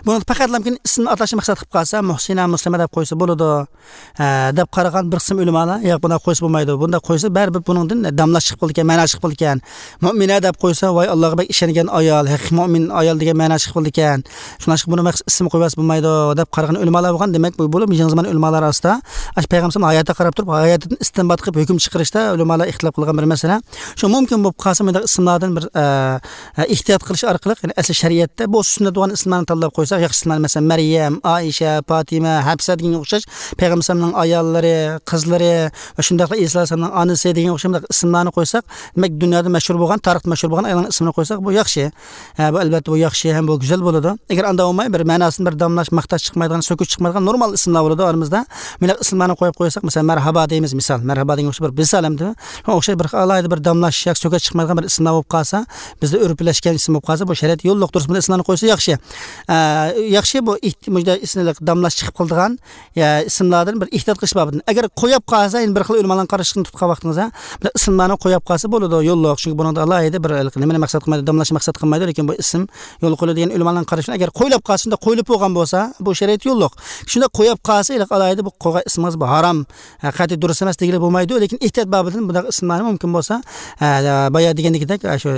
بۇنى پەقەتلا مۇمكىن ئىسىمنى ئاتاشنى مەقسەت قىلىپ قالسا، مۇھسىنە، مۇسلىمە دەپ قويسا بولىدۇ، ھە، دەپ قارىغان بىر قىسىم ئۆلىمالار، ياق، بۇنداق قويسا بولمايدۇ، بۇنداق قويسا بەرىبىر بۇنىڭدىن داملاش چىقىپ قالىدىكەن، مەنا چىقىپ قالىدىكەن. مۇئمىنە دەپ قويسا، ۋاي، ئاللاغا بەك ئىشەنگەن ئايال، ھەقىقىي مۇئمىن ئايال دېگەن مەنا چىقىپ قالىدىكەن. شۇڭلاشقا بۇنى مەخسۇس ئىسىم قويۇۋەتسە بولمايدۇ، دەپ قارىغان ئۆلىمالار بولغان. دېمەك، بۇ بولۇپ يېڭى زامان ئۆلىمالار ئارىسىدا، ئاشۇ پەيغەمبەر ھاياتىغا قاراپ تۇرۇپ، ھاياتىدىن ئىستىنبات قىلىپ ھۆكۈم چىقىرىشتا ئۆلىمالار ئىختىلاپ قىلغان بىر مەسىلە. شۇ مۇمكىن بولۇپ قالسا، مۇنداق ئىسىملاردىن بىر، ئە، ئە، ئېھتىيات قىلىش ئارقىلىق، يەنى ئەسلى شەرىئەتتە بولسا سۈننەت بولغان ئىسىملارنى تاللاپ قويساق، ياخشى ئىسىملار، مەسىلەن، مەريەم، ئائىشە، پاتىمە، ھەپسە دېگەنگە ئوخشاش، پەيغەمبەر ئەلەيھىسسالامنىڭ ئاياللىرى، قىزلىرى ۋە شۇنداقلا ئىسا ئەلەيھىسسالامنىڭ ئانىسى دېگەنگە ئوخشاش مۇنداق ئىسىملارنى قويساق، دېمەك، دۇنيادا مەشھۇر بولغان، تارىختا مەشھۇر بولغان ئايالنىڭ ئىسمىنى قويساق، بۇ ياخشى. ھە، بۇ ئەلۋەتتە بۇ ياخشى ھەم بۇ گۈزەل بولىدۇ. ئەگەر ئانداق بولماي، بىر مەناسىنى بىر داملاش، ماختاش چىقمايدىغان، سۆكۈش چىقمايدىغان نورمال ئىسىملار بولىدۇ ئارىمىزدا. مۇنداق ئىسىملارنى قويۇپ قويساق، مەسىلەن، مەرھابا دەيمىز، مىسال، مەرھابا دېگەن ئوخشاش بىر مىسال ئەمدى. شۇنىڭغا ئوخشاش بىر ئالاھىدە بىر داملاش ياكى سۆكۈش چىقمايدىغان بىر ئىسىملار بولۇپ قالسا، بىزدە ئۆرپلەشكەن ئىسىم بولۇپ قالسا، بۇ شەرىئەتتە يوللۇق، دۇرۇس، بۇنداق ئىسىملارنى قويسا ياخشى. ئە، ياخشى، بۇ ئېھت-، مۇشۇنداق ئىسىملىق داملاش چىقىپ قالىدىغان يا، ئىسىملاردىن بىر ئېھتىيات قىلىش بابىدىن. ئەگەر قويۇپ قالسا، يەنە بىر خىل ئۆلىمالارنىڭ قارىشىنى تۇتقان ۋاقتىڭىزدا، بىر ئىسىملارنى قويۇپ قالسا بولىدۇ، يوللۇق. چۈنكى بۇنىڭدا ئالاھىدە بىر نېمىنى مەقسەت قىلمايدۇ، داملاشنى مەقسەت قىلمايدۇ، لېكىن بۇ ئىسىم يولغا قويۇلىدۇ دېگەن ئۆلىمالارنىڭ قارىشىنى، ئەگەر قويۇلۇپ قالسا، شۇنداق قويۇلۇپ بولغان بولسا، بۇ شەرىئەتتە يوللۇق. شۇنداق قويۇپ قالسا، ھېلىقى ئالاھىدە بۇ قويغان ئىسمىڭىز بۇ ھارام، ھە، قەتئىي دۇرۇس ئەمەس دېگىلى بولمايدۇ، لېكىن ئېھتىيات بابىدىن بۇنداق ئىسىملارنى مۇمكىن بولسا، ھە، بايا دېگەندىكىدەك، شۇ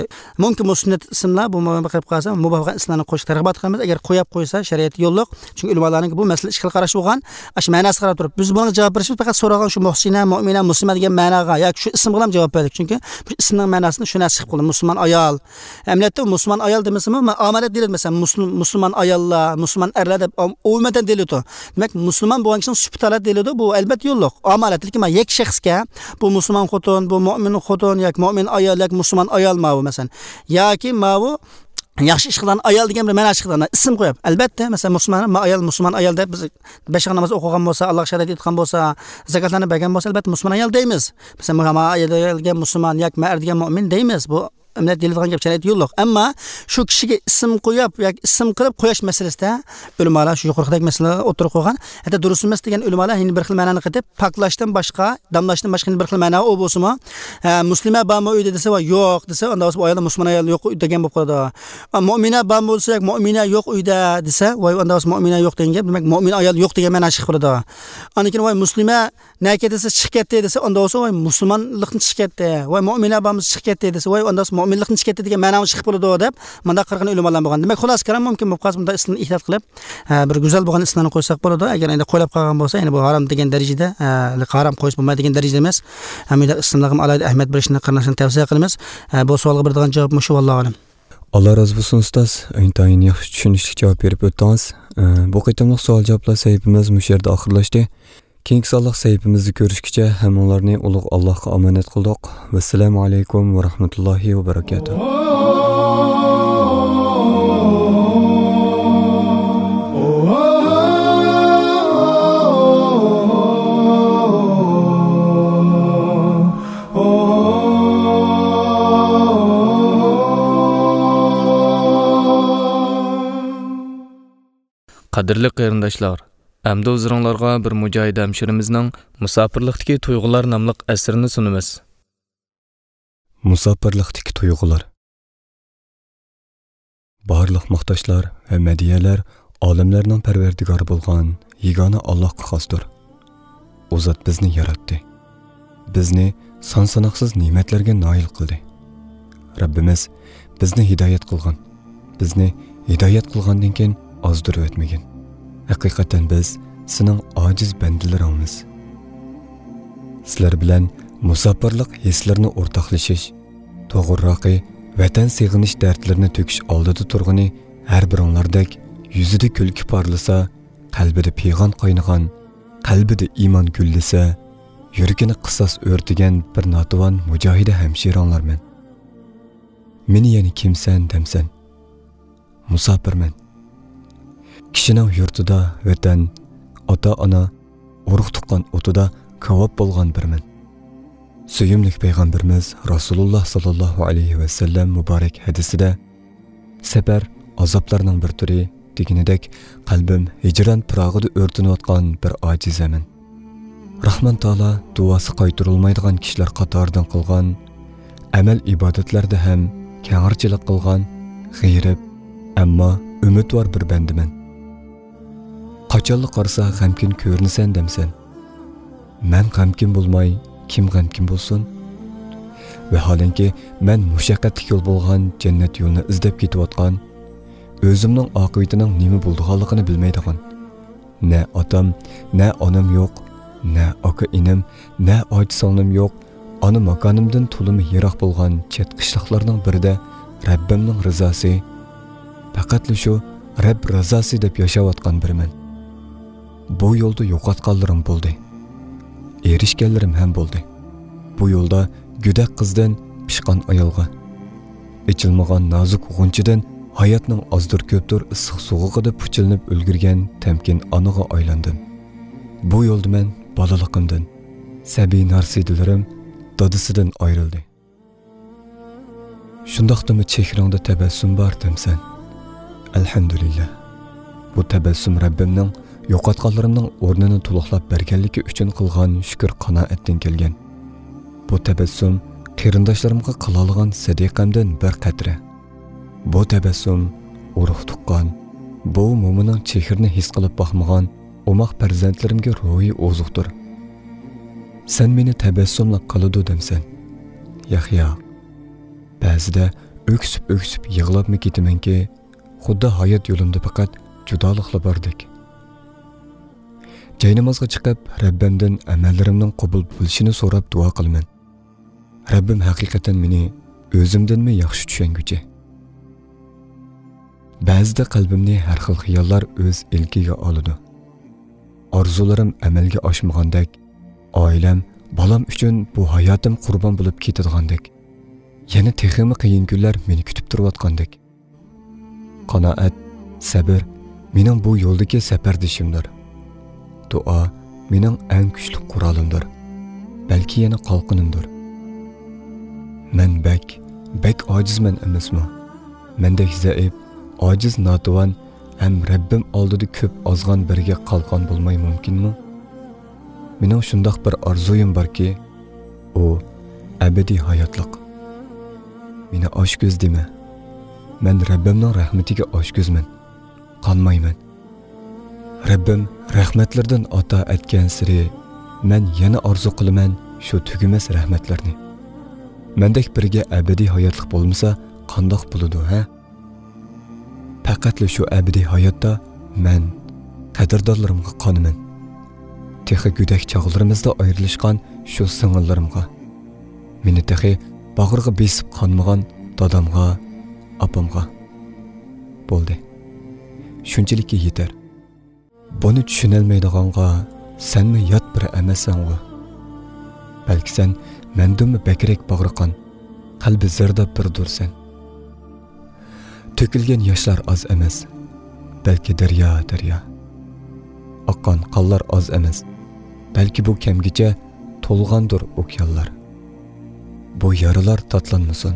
مۇمكىن بۇ سۈننەت ئىسىملار، بۇ مۇۋاپىق قىلىپ قالسا، مۇباھ بولغان ئىسىملارنى قويۇشقا تەرغىب قىلىمىز. ئەگەر قويۇپ قويسا، شەرىئەتتە يوللۇق. چۈنكى ئۆلىمالارنىڭكى بۇ مەسىلە ئىككى خىل قاراشى بولغان. ئاشۇ مەناسىغا قاراپ تۇرۇپ، بىز بۇنىڭغا جاۋاب بېرىشىمىز پەقەت سورالغان شۇ مۇھسىنە، مۇئمىنە، مۇسلىمە دېگەن مەناغا ياكى شۇ ئىسىمغىلا جاۋاب بەردۇق. چۈنكى بۇ ئىسىمنىڭ مەناسىدىن شۇ نەرسە چىقىپ قالدى. مۇسۇلمان ئايال. ئەمەلىيەتتە مۇسۇلمان ئايال دېمىسىمۇ، مۇ-، ئامالەت دېيىلىدۇ. مەسىلەن، مۇسۇلمان، مۇسۇلمان ئاياللار، مۇسۇلمان ئەرلەر دەپ ئوم-، ئومۇمەن دېيىلىدۇ. دېمەك، مۇسۇلمان بولغان كىشىنىڭ سۈپىتى ھالەت دېيىلىدۇ. بۇ ئەلۋەتتە يوللۇق. ئامالەت، لېكىن مانا يەككە شەخسكە، بۇ مۇسۇلمان خوتۇن، بۇ مۇئمىن خوتۇن ياكى مۇئمىن ئايال ياكى مۇسۇلمان ئايال ماۋۇ، مەسىلەن. ياكى ماۋۇ ياخشى ئىش قىلغان ئايال دېگەن بىر مەنا چىقىدۇ، ئىسىم قويۇپ. ئەلۋەتتە، مەسىلەن، مۇسۇلمان، ما ئايال، مۇسۇلمان ئايال دەپ بىز بەش ۋاق ناماز ئوقۇغان بولسا، ئاللاغا شاھادەت ئېيتقان بولسا، زاكاتلارنى بەرگەن بولسا، ئەلۋەتتە، مۇسۇلمان ئايال دەيمىز. مەسىلەن، ما ئايال دېگەن مۇسۇلمان ياكى ما ئەر دېگەن مۇئمىن دەيمىز. بۇ ئەمەلىيەتتە دېيىلىدىغان گەپ، شەرىئەتتە يوللۇق. ئەمما شۇ كىشىگە ئىسىم قويۇپ ياكى ئىسىم قىلىپ قويۇش مەسىلىسىدە ئۆلىمالار شۇ يۇقىرىقىدەك مەسىلە ئوتتۇرىغا قويغان. ھەتتا دۇرۇس ئەمەس دېگەن ئۆلىمالار يەنە بىر خىل مەنانى قېتىپ، پاكلاشتىن باشقا، داملاشتىن باشقا يەنە بىر خىل مەنا ئۇ بولسىمۇ، ھە، مۇسلىمە بارمۇ ئۆيدە دېسە، ۋاي، يوق دېسە، ئاندا بولسا بۇ ئايالدا مۇسۇلمان ئايال يوق دېگەن بولۇپ قالىدۇ. ئا، مۇئمىنە بارمۇ دېسە، ياق، مۇئمىنە يوق ئۆيدە دېسە، ۋاي، ئاندا بولسا مۇئمىنە يوق دېگەن گەپ، دېمەك، مۇئمىن ئايال يوق دېگەن مەنا چىقىپ قالىدۇ. ئاندىن كېيىن، ۋاي، مۇسلىمە نەگە دېسە، چىقىپ كەتتى دېسە، ئاندا بولسا، ۋاي، مۇسۇلمانلىقتىن چىقىپ كەتتى. ۋاي، مۇئمىنە بارمۇ دېسە، چىقىپ كەتتى دېسە، ۋاي، ئاندا بولسا، مۇئمىنلىقتىن چىقىپ كەتتى دېگەن مەنا چىقىپ قالىدۇ دەپ، مۇنداق قارىغان ئۆلىمالار بولغان. دېمەك، خۇلاسە كالام مۇمكىن بولۇپ قالسا، بۇنداق ئىسىمنى ئېھتىيات قىلىپ، ھە، بىر گۈزەل بولغان ئىسىملارنى قويساق بولىدۇ. ئەگەر ئەمدى قويلاپ قالغان بولسا، يەنى بۇ ھارام دېگەن دەرىجىدە، ھە، ھارام قويسا بولمايدۇ دېگەن دەرىجىدە ئەمەس. ھەم مۇنداق ئىسىملارغا ئالاھىدە ئەھمىيەت بېرىشنى قېرىنداشلارغا تەۋسىيە قىلىمىز. ھە، بۇ سوئالغا بېرىدىغان جاۋاب مۇشۇ، ۋاللاھۇ ئەلەم. ئاللا رازى بولسۇن، ئۇستاز. ئىنتايىن ياخشى، چۈشىنىشلىك جاۋاب بېرىپ ئۆتتىڭىز. ئە، بۇ قېتىملىق سوئال-جاۋابلار سەھىپىمىز مۇشۇ يەردە ئاخىرلاشتى. كېيىنكى سانلىق سەھىپىمىزدە كۆرۈشكىچە ھەممىڭلارنى ئۇلۇغ ئاللاھقا ئامانەت قىلدۇق. ۋەسسالامۇ ئەلەيكۇم ۋە رەھمەتۇللاھى ۋە بەرەكاتۇھ. قەدىرلىك قېرىنداشلار، ئەمدى ھۇزۇرۇڭلارغا بىر مۇجاھىد ھەمشىرىمىزنىڭ مۇساپىرلىقتىكى تۇيغۇلار ناملىق ئەسىرىنى سۇنىمىز. مۇساپىرلىقتىكى تۇيغۇلار. بارلىق ماختاشلار ۋە مەدھىيەلەر ئالەملەرنىڭ پەرۋەردىگارى بولغان يېگانە ئاللاھقا خاستۇر. ئۇ زات بىزنى ياراتتى. بىزنى سان-ساناقسىز نېمەتلەرگە نائىل قىلدى. رەببىمىز بىزنى ھىدايەت قىلغان. بىزنى ھىدايەت قىلغاندىن كېيىن ئازدۇرۇۋەتمىگىن. ھەقىقەتەن بىز سېنىڭ ئاجىز بەندىلىرىڭمىز. سىلەر بىلەن مۇساپىرلىق ھېسلىرىنى ئورتاقلىشىش، توغرىراقى، ۋەتەن سېغىنىش دەردلىرىنى تۆكۈش ئالدىدا تۇرغىنى ھەر بىرىڭلاردەك يۈزىدە كۈلكە پارلىسا، قەلبىدە پىغان قاينىغان، قەلبىدە ئىمان گۈللىسە، يۈرىكىنى قىساس ئۆرتىگەن بىر ناتىۋان مۇجاھىدە ھەمشىرىڭلارمەن. مېنى يەنە كىمسەن دەمسەن؟ مۇساپىرمەن. كىشىنىڭ يۇرتىدا ۋەتەن، ئاتا-ئانا، ئۇرۇق-تۇغقان ئوتىدا كاۋاپ بولغان بىرمەن. سۆيۈملۈك پەيغەمبىرىمىز رەسۇلۇللا ساللاللاھۇ ئەلەيھى ۋەسەللەم مۇبارەك ھەدىسىدە، سەپەر ئازابلارنىڭ بىر تۈرى دېگىنىدەك، قەلبىم ھىجران پىراغىدا ئۆرتىنىۋاتقان بىر ئاجىزەمەن. راھمان تائالا دۇئاسى قايتۇرۇلمايدىغان كىشىلەر قاتارىدىن قىلغان، ئەمەل ئىبادەتلەردە ھەم كەڭرىچىلىك قىلغان، غېرىب، ئەمما ئۈمىدۋار بىر بەندىمەن. قاچانلا قارىسا غەمكىن كۆرۈنىسەن دەمسەن؟ مەن غەمكىن بولماي، كىم غەمكىن بولسۇن؟ ۋەھالەنكى، مەن مۇشەققەتلىك يول بولغان جەننەت يولىنى ئىزدەپ كېتىۋاتقان، ئۆزۈمنىڭ ئاقىۋىتىنىڭ نېمە بولىدىغانلىقىنى بىلمەيدىغان، نە ئاتام، نە ئانام يوق، نە ئاكا-ئىنىم، نە ئاچا-سىڭلىم يوق، ئانا ماكانىمدىن تولىمۇ يىراق بولغان چەت قىشلاقلارنىڭ بىرىدە رەببىمنىڭ رىزاسى، پەقەتلا شۇ رەب رىزاسى دەپ ياشاۋاتقان بىرىمەن. بۇ يولدا يوقاتقانلىرىم بولدى. ئېرىشكەنلىرىم ھەم بولدى. بۇ يولدا گۆدەك قىزدىن پىشقان ئايالغا، ئېچىلمىغان نازۇك غۇنچىدىن ھاياتنىڭ ئازدۇر-كۆپتۇر ئىسسىق سوغۇقىدا پۇچىلىنىپ ئۈلگۈرگەن تەمكىن ئانىغا ئايلاندىم. بۇ يولدا مەن بالىلىقىمدىن، سەبىي نارسىدىلىرىم دادىسىدىن ئايرىلدى. شۇنداقتىمۇ چېھرىڭدە تەبەسسۇم بار دەمسەن؟ ئەلھەمدۇلىللا. بۇ تەبەسسۇم رەببىمنىڭ يوقاتقانلىرىمنىڭ ئورنىنى تولۇقلاپ بەرگەنلىكى ئۈچۈن قىلغان شۈكۈر قانائەتتىن كەلگەن. بۇ تەبەسسۇم قېرىنداشلىرىمغا قىلالىغان سەدىقەمدىن بىر قەترە. بۇ تەبەسسۇم ئۇرۇق-تۇغقان، بوۋا-مومىنىڭ چېھرىنى ھېس قىلىپ باقمىغان ئوماق پەرزەنتلىرىمگە روھىي ئوزۇقتۇر. سەن مېنى تەبەسسۇملا قىلىدۇ دەمسەن؟ ياق، ياق. بەزىدە ئۆكسۈپ-ئۆكسۈپ يىغلاپمۇ كېتىمەنكى، خۇددى ھايات يولۇمدا پەقەت جۇدالىقلا باردەك. جاينامازغا چىقىپ، رەببىمدىن ئەمەللىرىمنىڭ قوبۇل بولۇشىنى سوراپ دۇئا قىلىمەن. رەببىم ھەقىقەتەن مېنى ئۆزۈمدىنمۇ ياخشى چۈشەنگۈچى. بەزىدە قەلبىمنى ھەر خىل خىياللار ئۆز ئىلكىگە ئالىدۇ. ئارزۇلىرىم ئەمەلگە ئاشمىغاندەك، ئائىلەم، بالام ئۈچۈن بۇ ھاياتىم قۇربان بولۇپ كېتىدىغاندەك، يەنە تېخىمۇ قىيىن كۈنلەر مېنى كۈتۈپ تۇرۇۋاتقاندەك. قانائەت، سەبر مېنىڭ بۇ يولدىكى سەپەردىشىمدۇر. دۇئا مېنىڭ ئەڭ كۈچلۈك قورالىمدۇر. بەلكى يەنە قالقىنىمدۇر. مەن بەك، بەك ئاجىزمەن ئەمەسمۇ؟ مەندەك زەئىپ، ئاجىز، ناتىۋان ھەم رەببىم ئالدىدا كۆپ ئازغان بىرىگە قالقان بولماي مۇمكىنمۇ؟ مېنىڭ شۇنداق بىر ئارزۇيۇم باركى، ئۇ ئەبەدىي ھاياتلىق. مېنى ئاچكۆز دېمە. مەن رەببىمنىڭ رەھمىتىگە ئاچكۆزمەن. قانمايمەن. رەببىم رەھمەتلىرىدىن ئاتا ئەتكەنسېرى، مەن يەنە ئارزۇ قىلىمەن شۇ تۈگىمەس رەھمەتلەرنى. مەندەك بىرىگە ئەبەدىي ھاياتلىق بولمىسا، قانداق بولىدۇ، ھە؟ پەقەتلا شۇ ئەبەدىي ھاياتتا مەن قەدىردانلىرىمغا قانىمەن. تېخى گۆدەك چاغلىرىمىزدا ئايرىلىشقان شۇ سىڭىللىرىمغا. مېنى تېخى باغرىغا بېسىپ قانمىغان دادامغا، ئاپامغا. بولدى. شۇنچىلىككە يېتەر. بۇنى چۈشىنەلمەيدىغانغا سەنمۇ يات بىرى ئەمەسسەنغۇ. بەلكى سەن مەندىنمۇ بەكرەك باغرى قان، قەلبى زەرداب بىرىدۇرسەن. تۆكۈلگەن ياشلار ئاز ئەمەس، بەلكى دەريا، دەريا. ئاققان قانلار ئاز ئەمەس، بەلكى بۇ كەمگىچە تولغاندۇر ئوكيانلار. بۇ يارىلار تاتلانمىسۇن.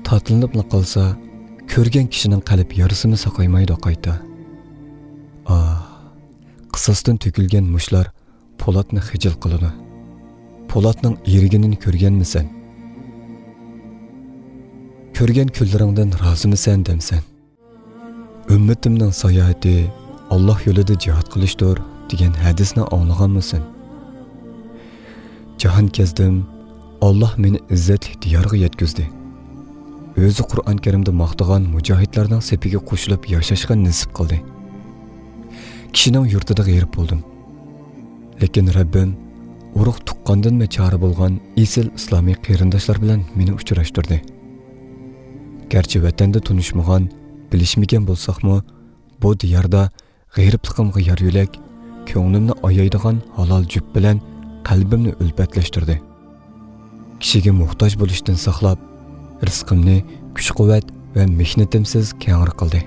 تاتلىنىپلا قالسا، كۆرگەن كىشىنىڭ قەلب يارىسىمۇ ساقايمايدۇ قايتا. ئاھ، قىساستىن تۆكۈلگەن مۇشلار پولاتنى خىجىل قىلىدۇ. پولاتنىڭ ئېرىگىنىنى كۆرگەنمىسەن؟ كۆرگەن كۈنلىرىڭدىن رازىمىسەن دەمسەن؟ «ئۈممىتىمنىڭ ساياھىتى ئاللاھ يولىدا جىھاد قىلىشتۇر» دېگەن ھەدىسنى ئاڭلىغانمىسەن؟ جاھان كەزدىم، ئاللاھ مېنى ئىززەتلىك دىيارغا يەتكۈزدى. ئۆزى قۇرئان كەرىمدە ماختىغان مۇجاھىدلارنىڭ سېپىگە قوشۇلۇپ ياشاشقا نېسىپ قىلدى. كىشىنىڭ يۇرتىدا غېرىب بولدۇم. لېكىن رەببىم ئۇرۇق تۇغقاندىنمۇ چارە بولغان ئېسىل ئىسلامىي قېرىنداشلار بىلەن مېنى ئۇچراشتۇردى. گەرچە ۋەتەندە تونۇشمىغان، بىلىشمىگەن بولساقمۇ، بۇ دىياردا غېرىبلىقىمغا يار يۆلەك، كۆڭلۈمنى ئايايدىغان ھالال جۈپ بىلەن قەلبىمنى ئۈلپەتلەشتۈردى. كىشىگە موھتاج بولۇشتىن ساقلاپ، رىزقىمنى كۈچ-قۇۋۋەت ۋە مېھنىتىمسىز كەڭرى قىلدى.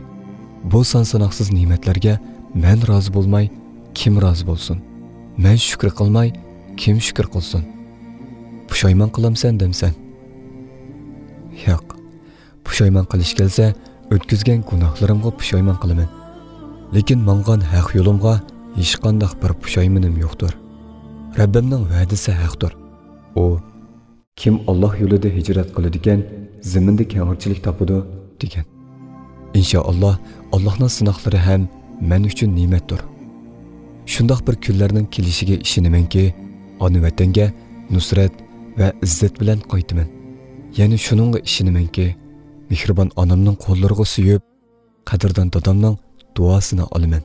بۇ سان-ساناقسىز نېمەتلەرگە مەن رازى بولماي، كىم رازى بولسۇن؟ مەن شۈكرى قىلماي، كىم شۈكرى قىلسۇن؟ پۇشايمان قىلامسەن دەمسەن؟ ياق. پۇشايمان قىلىش كەلسە، ئۆتكۈزگەن گۇناھلىرىمغا پۇشايمان قىلىمەن. لېكىن ماڭغان ھەق يولۇمغا ھېچقانداق بىر پۇشايمىنىم يوقتۇر. رەببىمنىڭ ۋەدىسى ھەقتۇر. ئۇ، «كىم ئاللاھ يولىدا ھىجرەت قىلىدىكەن، زېمىندا كەڭرىچىلىك تاپىدۇ» دېگەن. ئىنشائاللاھ، ئاللاھنىڭ سىناقلىرى ھەم مەن ئۈچۈن نېمەتتۇر. شۇنداق بىر كۈنلەرنىڭ كېلىشىگە ئىشىنىمەنكى، ئانا ۋەتەنگە نۇسرەت ۋە ئىززەت بىلەن قايتىمەن. يەنە شۇنىڭغا ئىشىنىمەنكى، مېھرىبان ئانامنىڭ قوللىرىغا سۆيۈپ، قەدىردان دادامنىڭ دۇئاسىنى ئالىمەن.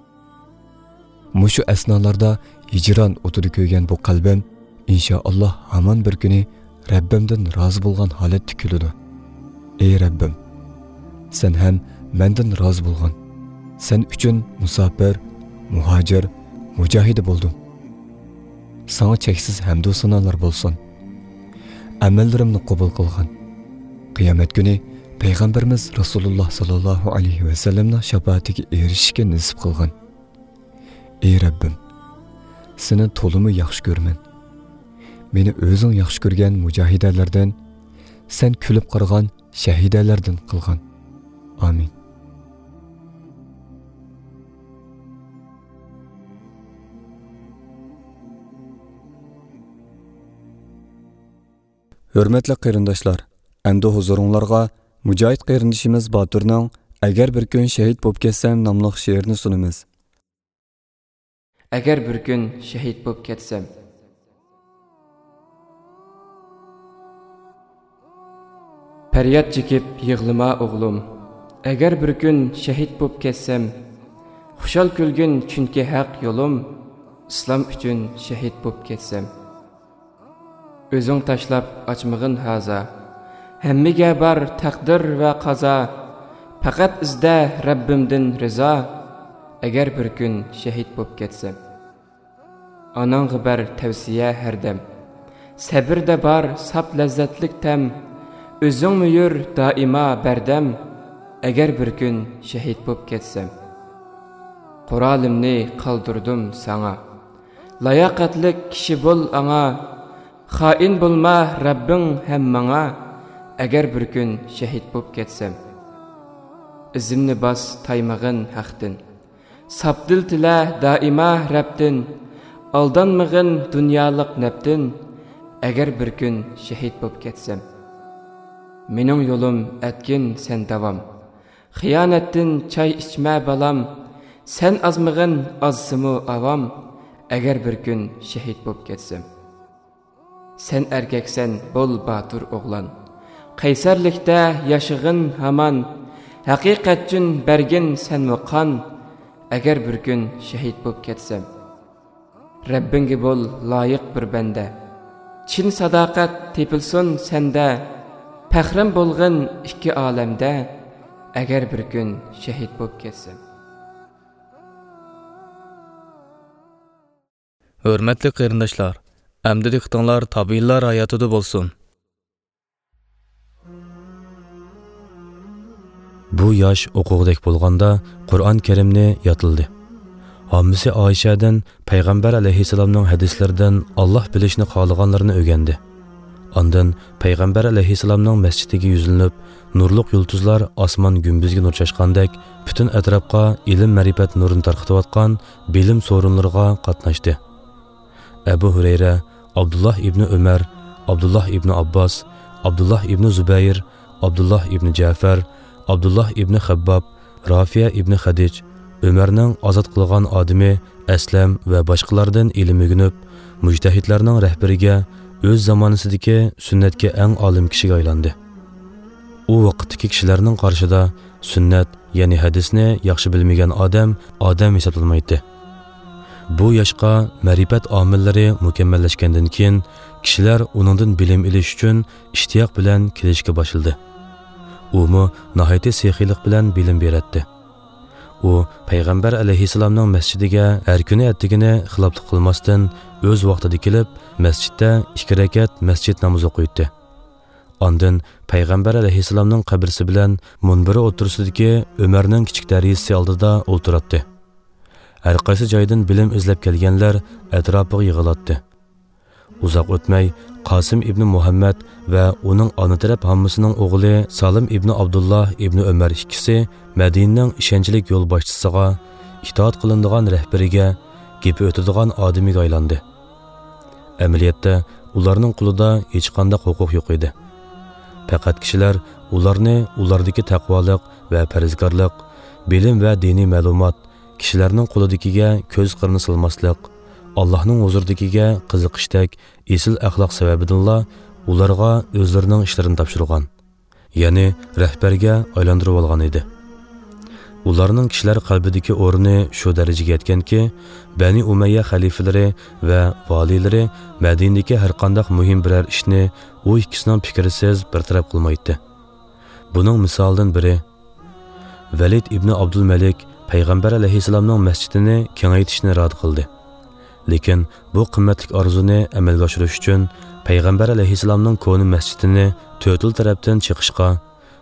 مۇشۇ ئەسنالاردا ھىجران ئوتىدا كۆيگەن بۇ قەلبىم، ئىنشائاللاھ، ھامان بىر كۈنى رەببىمدىن رازى بولغان ھالەتتە كۈلىدۇ. ئەي رەببىم، سەن ھەم مەندىن رازى بولغىن. سەن ئۈچۈن مۇساپىر، مۇھاجىر، مۇجاھىدە بولدۇم. ساڭا چەكسىز ھەمدۇ سانالار بولسۇن. ئەمەللىرىمنى قوبۇل قىلغىن. قىيامەت كۈنى پەيغەمبىرىمىز رەسۇلۇللاھ ساللاللاھۇ ئەلەيھى ۋەسەللەمنىڭ شاپائىتىگە ئېرىشىشكە نېسىپ قىلغىن. ئەي رەببىم، سېنى تولىمۇ ياخشى كۆرىمەن. مېنى ئۆزۈڭ ياخشى كۆرگەن مۇجاھىدەلەردىن، سەن كۈلۈپ قارىغان شەھىدەلەردىن قىلغىن. ئامىن. ھۆرمەتلىك قېرىنداشلار، ئەمدى ھۇزۇرۇڭلارغا مۇجاھىد قېرىندىشىمىز باتۇرنىڭ «ئەگەر بىر كۈن شېھىت بولۇپ كەتسەم» ناملىق شېئىرىنى سۇنىمىز. ئەگەر بىر كۈن شېھىت بولۇپ كەتسەم. پەرياد چېكىپ يىغلىما ئوغلۇم، ئەگەر بىر كۈن شېھىت بولۇپ كەتسەم. خۇشال كۈلگىن، چۈنكى ھەق يولۇم، ئىسلام ئۈچۈن شېھىت بولۇپ كەتسەم. ئۆزۈڭ تاشلاپ ئاچمىغىن ھازا، ھەممىگە بار تەقدىر ۋە قازا. پەقەت ئىزدە رەببىمدىن رىزا، ئەگەر بىر كۈن شېھىت بولۇپ كەتسەم. ئاناڭغا بەر تەۋسىيە ھەردەم، سەبرىدە بار ساپ لەززەتلىك تەم. ئۆزۈڭمۇ يۈر دائىما بەردەم، ئەگەر بىر كۈن شېھىت بولۇپ كەتسەم. قورالىمنى قالدۇردۇم ساڭا، لاياقەتلىك كىشى بول ئاڭا. خائىن بولما رەببىڭ ھەم ماڭا، ئەگەر بىر كۈن شېھىت بولۇپ كەتسەم. ئىزىمنى باس، تايمىغىن ھەقتىن، ساپ دىل تىلە دائىما رەبتىن. ئالدانمىغىن دۇنيالىق نەپتىن، ئەگەر بىر كۈن شېھىت بولۇپ كەتسەم. مېنىڭ يولۇم ئەتكىن سەن داۋام، خىيانەتتىن چاي ئىچمە بالام. سەن ئازمىغىن، ئازسىمۇ ئاۋام، ئەگەر بىر كۈن شېھىت بولۇپ كەتسەم. سەن ئەركەكسەن، بول باتۇر ئوغلان، قەيسەرلىكتە ياشىغىن ھامان. ھەقىقەت ئۈچۈن بەرگىن سەنمۇ قان، ئەگەر بىر كۈن شېھىت بولۇپ كەتسەم. رەببىڭگە بول لايىق بىر بەندە، چىن ساداقەت تېپىلسۇن سەندە. پەخرىم بولغىن ئىككى ئالەمدە، ئەگەر بىر كۈن شېھىت بولۇپ كەتسەم. ھۆرمەتلىك قېرىنداشلار، ئەمدى دىققىتىڭلار تابىئىنلار ھاياتىدا بولسۇن. بۇ ياش ئوقۇغۇدەك بولغاندا قۇرئان كەرىمنى يادلىدى. ھاممىسى ئائىشەدىن پەيغەمبەر ئەلەيھىسسالامنىڭ ھەدىسلىرىدىن ئاللاھ بىلىشنى خالىغانلىرىنى ئۆگەندى. ئاندىن پەيغەمبەر ئەلەيھىسسالامنىڭ مەسچىتىگە يۈزلىنىپ، نۇرلۇق يۇلتۇزلار ئاسمان گۈمبىزىگە نۇر چاچقاندەك، پۈتۈن ئەتراپقا ئىلىم-مەرىپەت نۇرىنى تارقىتىۋاتقان بىلىم سورۇنلىرىغا قاتناشتى. ئەبۇ ھۇرەيرە، ئابدۇللاھ ئىبنى ئۆمەر، ئابدۇللاھ ئىبنى ئابباس، ئابدۇللاھ ئىبنى زۇبەير، ئابدۇللاھ ئىبنى جەفەر، ئابدۇللاھ ئىبنى خەبباب، رافىيە ئىبنى خەدىج، ئۆمەرنىڭ ئازاد قىلغان ئادىمى ئەسلەم ۋە باشقىلاردىن ئىلىم ئۆگىنىپ، مۇجتەھىدلەرنىڭ رەھبىرىگە، ئۆز زامانىسىدىكى سۈننەتكە ئەڭ ئالىم كىشىگە ئايلاندى. ئۇ ۋاقىتتىكى كىشىلەرنىڭ قارىشىدا سۈننەت، يەنى ھەدىسنى ياخشى بىلمىگەن ئادەم، ئادەم ھېسابلانمايتتى. بۇ ياشقا مەرىپەت ئامىللىرى مۇكەممەللەشكەندىن كېيىن، كىشىلەر ئۇنىڭدىن بىلىم ئېلىش ئۈچۈن ئىشتىياق بىلەن كېلىشكە باشلىدى. ئۇمۇ ناھايىتى سېخىيلىق بىلەن بىلىم بېرەتتى. ئۇ پەيغەمبەر ئەلەيھىسسالامنىڭ مەسچىتىگە ھەر كۈنى ئەتىگىنى خىلاپلىق قىلماستىن، ئۆز ۋاقتىدا كېلىپ، مەسچىتتە ئىككى رەكەت مەسچىت نامىزى ئوقۇيتتى. ئاندىن پەيغەمبەر ئەلەيھىسسالامنىڭ قەبرىسى بىلەن مۇنبىرى ئوتتۇرىسىدىكى ئۆمەرنىڭ كىچىك دەريىسى ئالدىدا ئولتۇراتتى. ھەر قايسى جايدىن بىلىم ئىزلەپ كەلگەنلەر ئەتراپىغا يىغىلاتتى. ئۇزاق ئۆتمەي، قاسىم ئىبنى مۇھەممەد ۋە ئۇنىڭ ئانا تەرەپ ھاممىسىنىڭ ئوغلى سالىم ئىبنى ئابدۇللا ئىبنى ئۆمەر ئىككىسى مەدىنىنىڭ ئىشەنچلىك يولباشچىسىغا، ئىتائەت قىلىنىدىغان رەھبىرىگە، گېپى ئۆتىدىغان ئادىمىگە ئايلاندى. ئەمەلىيەتتە، ئۇلارنىڭ قولىدا ھېچقانداق ھوقۇق يوق ئىدى. پەقەت كىشىلەر ئۇلارنى ئۇلاردىكى تەقۋالىق ۋە پەرھىزكارلىق، بىلىم ۋە دىنىي مەلۇمات، كىشىلەرنىڭ قولىدىكىگە كۆز قىرىنى سالماسلىق، ئاللاھنىڭ ھۇزۇرىدىكىگە قىزىقىشتەك ئېسىل ئەخلاق سەۋەبىدىنلا ئۇلارغا ئۆزلىرىنىڭ ئىشلىرىنى تاپشۇرغان، يەنى رەھبەرگە ئايلاندۇرۇۋالغان ئىدى. ئۇلارنىڭ كىشىلەر قەلبىدىكى ئورنى شۇ دەرىجىگە يەتكەنكى، بەنى ئۇمەييە خەلىپىلىرى ۋە ۋالىيلىرى مەدىنىدىكى ھەرقانداق مۇھىم بىرەر ئىشنى ئۇ ئىككىسىنىڭ پىكرىسىز بىر تەرەپ قىلمايتتى. بۇنىڭ مىسالىدىن بىرى، ۋەلىد ئىبنى ئابدۇلمەلىك پەيغەمبەر ئەلەيھىسسالامنىڭ مەسچىتىنى كېڭەيتىشنى ئىرادە قىلدى. لېكىن بۇ قىممەتلىك ئارزۇنى ئەمەلگە ئاشۇرۇش ئۈچۈن پەيغەمبەر ئەلەيھىسسالامنىڭ كونا مەسچىتىنى تۆتىلا تەرەپتىن چېقىشقا،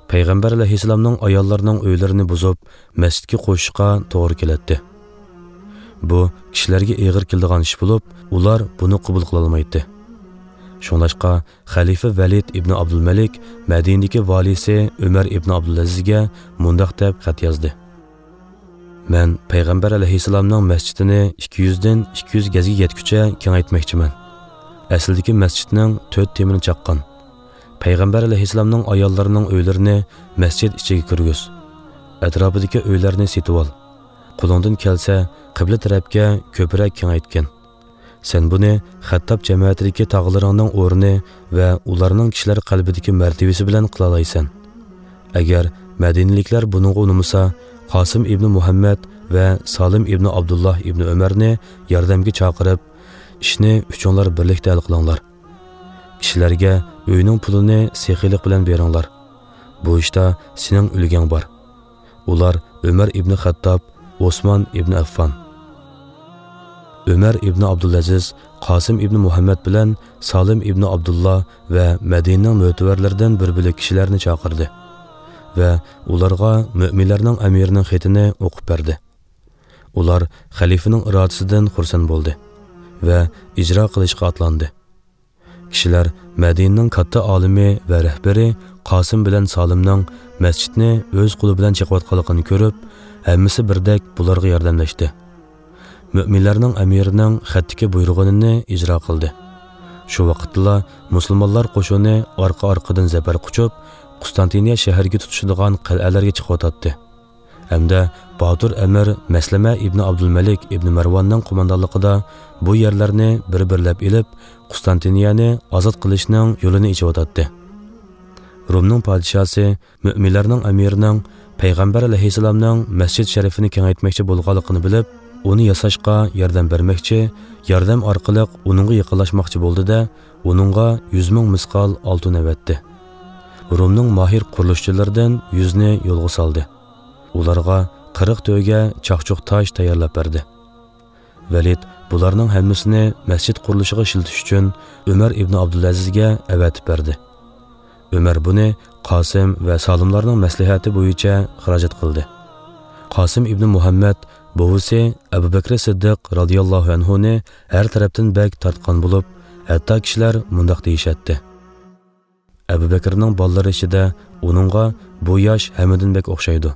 پەيغەمبەر ئەلەيھىسسالامنىڭ ئاياللىرىنىڭ ئۆيلىرىنى بۇزۇپ، مەسچىتكە قوشۇشقا توغرا كېلەتتى. بۇ كىشىلەرگە ئېغىر كېلىدىغان ئىش بولۇپ، ئۇلار بۇنى قوبۇل قىلالمايتتى. شۇڭلاشقا، خەلىپە ۋەلىد ئىبنى ئابدۇلمەلىك مەدىنىدىكى ۋالىيسى ئۆمەر ئىبنى ئابدۇلئەزىزگە مۇنداق دەپ خەت يازدى: مەن پەيغەمبەر ئەلەيھىسسالامنىڭ مەسچىتىنى ئىككى يۈزدىن ئىككى يۈز گەزگە يەتكۈچە كېڭەيتمەكچىمەن. ئەسلىدىكى مەسچىتنىڭ تۆت تېمىنى چاققان. پەيغەمبەر ئەلەيھىسسالامنىڭ ئاياللىرىنىڭ ئۆيلىرىنى مەسچىت ئىچىگە كىرگۈز. ئەتراپىدىكى ئۆيلەرنى سېتىۋال. قولۇڭدىن كەلسە، قىبلە تەرەپكە كۆپرەك كېڭەيتكىن. سەن بۇنى خەتتاب جەمەتىدىكى تاغىلىرىڭنىڭ ئورنى ۋە ئۇلارنىڭ كىشىلەر قەلبىدىكى مەرتىۋىسى بىلەن قىلالايسەن. ئەگەر مەدىنىلىكلەر بۇنىڭغا ئۇنىمىسا، قاسىم ئىبنى مۇھەممەد ۋە سالىم ئىبنى ئابدۇللا ئىبنى ئۆمەرنى ياردەمگە چاقىرىپ، ئىشنى ئۈچۈڭلار بىرلىكتە ھەل قىلىڭلار. كىشىلەرگە ئۆينىڭ پۇلىنى سېخىيلىق بىلەن بېرىڭلار. بۇ ئىشتا سېنىڭ ئۈلگەڭ بار. ئۇلار ئۆمەر ئىبنى خەتتاب، ئوسمان ئىبنى ئەففان، ئۆمەر ئىبنى ئابدۇلئەزىز، قاسىم ئىبنى مۇھەممەد بىلەن سالىم ئىبنى ئابدۇللا ۋە مەدىنىنىڭ مۆتىۋەرلىرىدىن بىر بۆلەك كىشىلەرنى چاقىردى ۋە ئۇلارغا مۆمىنلەرنىڭ ئەمىرىنىڭ خېتىنى ئوقۇپ بەردى. ئۇلار خەلىپىنىڭ ئىرادىسىدىن خۇرسەن بولدى ۋە ئىجرا قىلىشقا ئاتلاندى. كىشىلەر مەدىنىنىڭ كاتتا ئالىمى ۋە رەھبىرى قاسىم بىلەن سالىمنىڭ مەسچىتنى ئۆز قولى بىلەن چېقىۋاتقانلىقىنى كۆرۈپ، ھەممىسى بىردەك بۇلارغا ياردەملەشتى. مۆمىنلەرنىڭ ئەمىرىنىڭ خەتتىكى بۇيرۇغىنىنى ئىجرا قىلدى. شۇ ۋاقىتتىلا مۇسۇلمانلار قوشۇنى ئارقا-ئارقىدىن زەپەر قۇچۇپ، قۇستانتىنىيە شەھىرىگە تۇتىشىدىغان قەلئەلەرگە چىقىۋاتاتتى. ھەمدە باتۇر ئەمىر مەسلىمە ئىبنى ئابدۇلمەلىك ئىبنى مەرۋاننىڭ قوماندانلىقىدا بۇ يەرلەرنى بىر-بىرلەپ ئېلىپ، قۇستانتىنىيەنى ئازاد قىلىشنىڭ يولىنى ئېچىۋاتاتتى. رومنىڭ پادىشاسى مۆمىنلەرنىڭ ئەمىرىنىڭ پەيغەمبەر ئەلەيھىسسالامنىڭ مەسچىت شەرىفىنى كېڭەيتمەكچى بولغانلىقىنى بىلىپ، ئۇنى ياساشقا ياردەم بەرمەكچى، ياردەم ئارقىلىق ئۇنىڭغا يېقىنلاشماقچى بولدى-دە، ئۇنىڭغا يۈز مىڭ مىسقال ئالتۇن ئەۋەتتى. رومنىڭ ماھىر قۇرۇلۇشچىلىرىدىن يۈزنى يولغا سالدى. ئۇلارغا قىرىق تۆگە چاقچۇق تاش تەييارلاپ بەردى. ۋەلىد بۇلارنىڭ ھەممىسىنى مەسچىت قۇرۇلۇشىغا ئىشلىتىش ئۈچۈن ئۆمەر ئىبنى ئابدۇلئەزىزگە ئەۋەتىپ بەردى. ئۆمەر بۇنى قاسىم ۋە سالىملارنىڭ مەسلىھەتى بويىچە خىراجەت قىلدى. قاسىم ئىبنى مۇھەممەد بوۋىسى ئەبۇ بەكرى سىددىق رازىياللاھۇ ئەنھۇنى ھەر تەرەپتىن بەك تارتقان بولۇپ، ھەتتا كىشىلەر مۇنداق دېيىشەتتى: «ئەبۇ بەكرىنىڭ بالىلىرى ئىچىدە ئۇنىڭغا بۇ ياش ھەممىدىن بەك ئوخشايدۇ.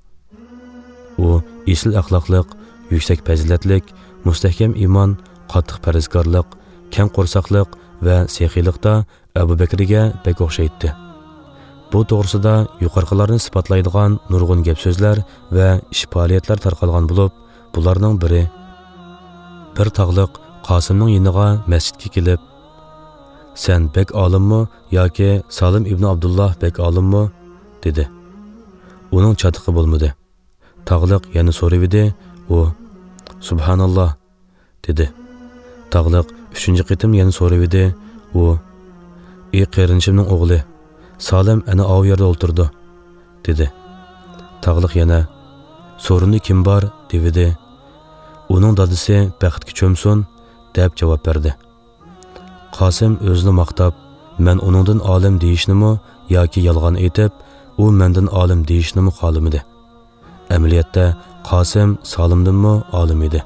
ئۇ ئېسىل ئەخلاقلىق، يۈكسەك پەزىلەتلىك، مۇستەھكەم ئىمان، قاتتىق پەرھىزكارلىق، كەڭ قورساقلىق ۋە سېخىيلىقتا ئەبۇ بەكرىگە بەك ئوخشايتتى.» بۇ توغرىسىدا يۇقىرىقىلارنى ئىسپاتلايدىغان نۇرغۇن گەپ-سۆزلەر ۋە ئىش-پائالىيەتلەر تارقالغان بولۇپ، بۇلارنىڭ بىرى، بىر تاغلىق قاسىمنىڭ يېنىغا مەسچىتكە كېلىپ، «سەن بەك ئالىممۇ ياكى سالىم ئىبنى ئابدۇللا بەك ئالىممۇ؟» دېدى. ئۇنىڭ چاتىقى بولمىدى. تاغلىق يەنە سورىۋىدى، ئۇ، «سۇبھاناللا» دېدى. تاغلىق ئۈچىنچى قېتىم يەنە سورىۋىدى، ئۇ، «ئى قېرىندىشىمنىڭ ئوغلى، سالىم ئەنە ئاۋۇ يەردە ئولتۇرىدۇ» دېدى. تاغلىق يەنە، «سورۇندا كىم بار؟» دېۋىدى. «ئۇنىڭ دادىسى بەختكە چۆمسۇن» دەپ جاۋاب بەردى. قاسىم ئۆزىنى ماختاپ، «مەن ئۇنىڭدىن ئالىم» دېيىشنىمۇ ياكى يالغان ئېيتىپ، «ئۇ مەندىن ئالىم» دېيىشنىمۇ خالىمىدى. ئەمەلىيەتتە قاسىم سالىمدىنمۇ ئالىم ئىدى.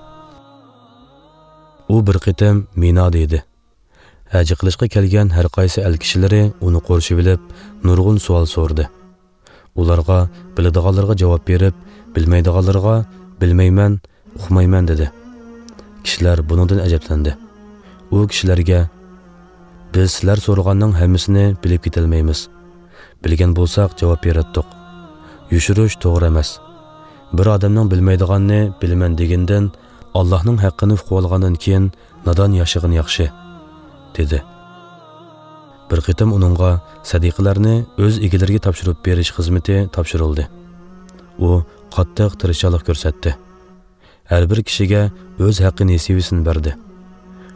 ئۇ بىر قېتىم مىنادا ئىدى. ھەج قىلىشقا كەلگەن ھەر قايسى ئەل كىشىلىرى ئۇنى قورشىۋېلىپ، نۇرغۇن سوئال سورىدى. ئۇلارغا بىلىدىغانلىرىغا جاۋاب بېرىپ، بىلمەيدىغانلىرىغا «بىلمەيمەن، ئۇقمايمەن» دېدى. كىشىلەر بۇنىڭدىن ئەجەبلەندى. ئۇ كىشىلەرگە، «بىز سىلەر سورىغاننىڭ ھەممىسىنى بىلىپ كېتەلمەيمىز. بىلگەن بولساق، جاۋاب بېرەتتۇق. يوشۇرۇش توغرا ئەمەس. بىر ئادەمنىڭ بىلمەيدىغاننى بىلىمەن دېگىنىدىن، ئاللاھنىڭ ھەققىنى ئۇقۇۋالغاندىن كېيىن نادان ياشىغىنى ياخشى» دېدى. بىر قېتىم ئۇنىڭغا سەدىقىلەرنى ئۆز ئىگىلىرىگە تاپشۇرۇپ بېرىش خىزمىتى تاپشۇرۇلدى. ئۇ قاتتىق تىرىشچانلىق كۆرسەتتى. ھەر بىر كىشىگە ئۆز ھەققى نېسىۋىسىنى بەردى.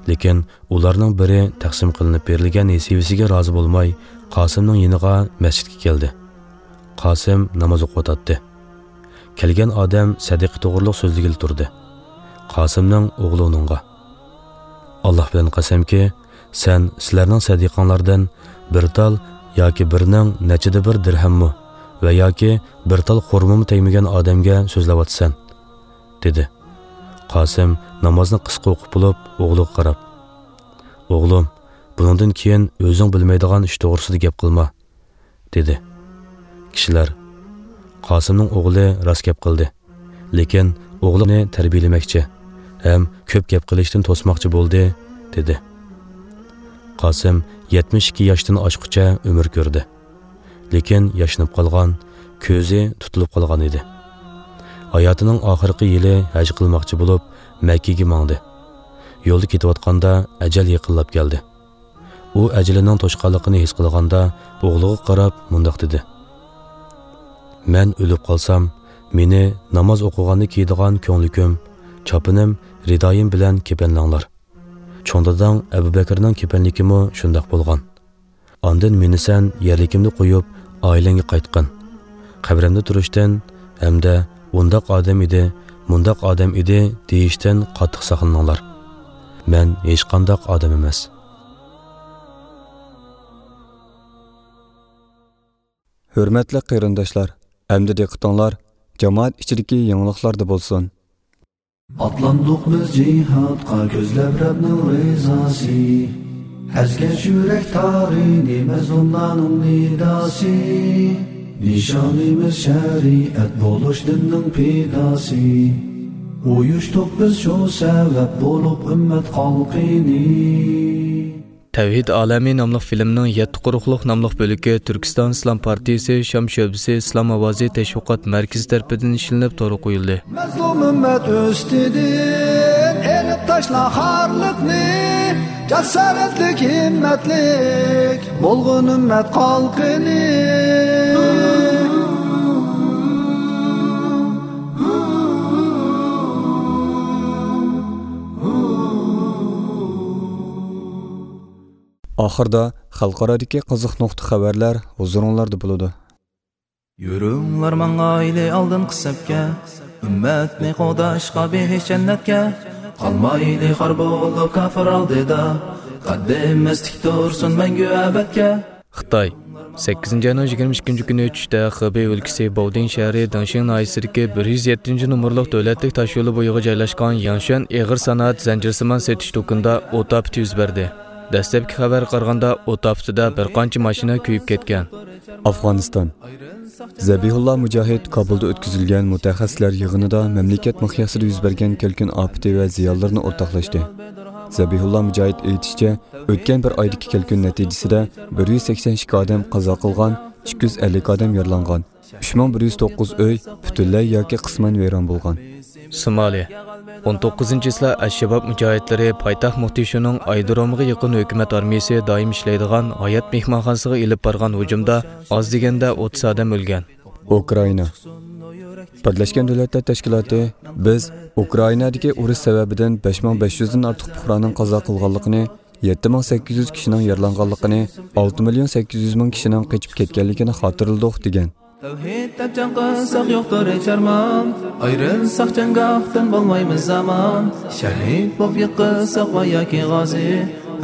لېكىن ئۇلارنىڭ بىرى تەقسىم قىلىنىپ بېرىلگەن نېسىۋىسىگە رازى بولماي، قاسىمنىڭ يېنىغا مەسچىتكە كەلدى. قاسىم ناماز ئوقۇۋاتاتتى. كەلگەن ئادەم سەدىقە توغرۇلۇق سۆزلىگىلى تۇردى. قاسىمنىڭ ئوغلى ئۇنىڭغا، «ئاللاھ بىلەن قەسەمكى، سەن سىلەرنىڭ سەدىقەڭلاردىن بىر تال ياكى بىرنىڭ نەچچىدە بىر دىرھەممۇ ۋە ياكى بىر تال خورمىمۇ تەگمىگەن ئادەمگە سۆزلەۋاتىسەن» دېدى. قاسىم نامازنى قىسقا ئوقۇپ بولۇپ، ئوغلىغا قاراپ، «ئوغلۇم، بۇنىڭدىن كېيىن ئۆزۈڭ بىلمەيدىغان ئىش توغرىسىدا گەپ قىلما» دېدى. كىشىلەر، «قاسىمنىڭ ئوغلى راست گەپ قىلدى، لېكىن ئوغلىنى تەربىيەلىمەكچى ھەم كۆپ گەپ قىلىشتىن توسماقچى بولدى» دېدى. قاسىم يەتمىش ئىككى ياشتىن ئاشقۇچە ئۆمۈر كۆردى. لېكىن ياشىنىپ قالغان، كۆزى تۇتۇلۇپ قالغان ئىدى. ھاياتىنىڭ ئاخىرقى يىلى ھەج قىلماقچى بولۇپ، مەككىگە ماڭدى. يولدا كېتىۋاتقاندا ئەجەل يېقىنلاپ كەلدى. ئۇ ئەجىلىنىڭ توشقانلىقىنى ھېس قىلغاندا، ئوغلىغا قاراپ مۇنداق دېدى: «مەن ئۆلۈپ قالسام، مېنى ناماز ئوقۇغاندا كىيىدىغان كۆڭلىكىم، چاپىنىم، رىدايىم بىلەن كېپەنلەڭلار. چوڭ داداڭ ئەبۇ بەكرىنىڭ كېپەنلىكىمۇ شۇنداق بولغان. ئاندىن مېنى سەن يەرلىكىمدە قويۇپ، ئائىلەڭگە قايتقىن. قەبرەمدە تۇرۇشتىن ھەمدە ئۇنداق ئادەم ئىدى، مۇنداق ئادەم ئىدى دېيىشتىن قاتتىق ساقلىنىڭلار. مەن ھېچقانداق ئادەم ئەمەس.» ھۆرمەتلىك قېرىنداشلار، ئەمدى دىققىتىڭلار جامائەت ئىچىدىكى يېڭىلىقلاردا بولسۇن. ئاتلاندۇق بىز جىھادقا، كۆزلەپ رەبنىڭ رىزاسى. ئەزگەش يۈرەك تارىنى، مەزلۇملارنىڭ نىداسى. نىشانىمىز شەرىئەت بولۇش دىننىڭ پىداسى. ئۇيۇشتۇق بىز شۇ سەۋەب بولۇپ ئۈممەت خەلقىنى. تەۋھىد ئالەمى ناملىق فىلىمنىڭ يەتتە قۇرۇقلۇق ناملىق بۆلىكى تۈركىستان ئىسلام پارتىيىسى شام شۆبىسى ئىسلام ئاۋازى تەشۋىقات مەركىزى تەرىپىدىن ئىشلىنىپ تورغا قويۇلدى. مەزلۇم ئۈممەت ئۈستىدىن ئېلىپ تاشلا خارلىقنى، جاسارەتلىك، ھىممەتلىك بولغىن ئۈممەت خەلقىنى. ئاخىردا خەلقئارادىكى قىزىق نۇقتا خەۋەرلەر ھۇزۇرۇڭلاردا بولىدۇ. يۈرۈڭلار ماڭايلى ئالدىنقى سەپكە، ئۈممەتنى قوغداشقا بېھىش جەننەتكە. قالمايلى خار بولۇپ كاپىر ئالدىدا، قەددىمىز تىك تۇرسۇن مەڭگۈ ئەبەدكە. خىتاي. سەككىزىنچى ئاينىڭ يىگىرمە ئىككىنچى كۈنى چۈشتە خېبېي ئۆلكىسى بوۋدىن شەھىرى دېڭشىڭ ناھىيەسىدىكى بىر يۈز يەتتىنچى نومۇرلۇق دۆلەتلىك تاشيولى بويىغا جايلاشقان ياڭشۈەن ئېغىر سانائەت زەنجىرسىمان سېتىش دۇكىنىدا ئوت ئاپىتى يۈز بەردى. دەسلەپكى خەۋەرگە قارىغاندا، ئوت ئاپىتىدە بىر قانچە ماشىنا كۆيۈپ كەتكەن. ئافغانىستان. زەبىھۇللا مۇجاھىد كابۇلدا ئۆتكۈزۈلگەن مۇتەخەسسىسلەر يىغىنىدا مەملىكەت مىقياسىدا يۈز بەرگەن كەلكۈن ئاپىتى ۋە زىيانلىرىنى ئورتاقلاشتى. زەبىھۇللا مۇجاھىد ئېيتىشىچە، ئۆتكەن بىر ئايدىكى كەلكۈن نەتىجىسىدە بىر يۈز سەكسەن ئىككى ئادەم قازا قىلغان، ئىككى يۈز ئەللىك ئادەم يارىلانغان، ئۈچ مىڭ بىر يۈز توققۇز ئۆي پۈتۈنلەي ياكى قىسمەن ۋەيران بولغان. سومالىيە. ئون توققۇزىنچى چىسلا ئەل-شەباب مۇجاھىدلىرى پايتەخت موقدىشۇنىڭ ئايرودرومىغا يېقىن ھۆكۈمەت ئارمىيىسى دائىم ئىشلەيدىغان ھايات مېھمانخانىسىغا ئېلىپ بارغان ھۇجۇمدا ئاز دېگەندە ئوتتۇز ئادەم ئۆلگەن. ئۇكرائىنا. بىرلەشكەن دۆلەتلەر تەشكىلاتى، بىز ئۇكرائىنادىكى ئۇرۇش سەۋەبىدىن بەش مىڭ بەش يۈزدىن ئارتۇق پۇقرانىڭ قازا قىلغانلىقىنى، يەتتە مىڭ سەككىز يۈز كىشىنىڭ يارىلانغانلىقىنى، ئالتە مىليون سەككىز يۈز مىڭ كىشىنىڭ قېچىپ كەتكەنلىكىنى خاتىرىلىدۇق، دېگەن. تەۋھىد دەپ جەڭ قىلساق يوقتۇر ھېچ ئارمان، ئايرىلساق جەڭگاھتىن بولمايمىز ئامان. شەھىد بولۇپ يىقىلساق ۋە ياكى غازى،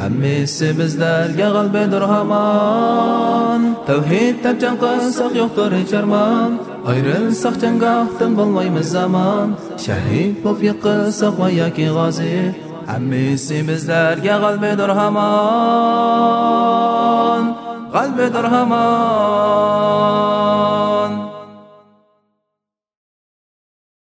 ھەممىسى بىزلەرگە غەلىبىدۇر ھامان. تەۋھىد دەپ جەڭ قىلساق يوقتۇر ھېچ ئارمان، ئايرىلساق جەڭگاھتىن بولمايمىز ئامان. شەھىد بولۇپ يىقىلساق ۋە ياكى غازى، ھەممىسى بىزلەرگە غەلىبىدۇر ھامان، غەلىبىدۇر ھامان.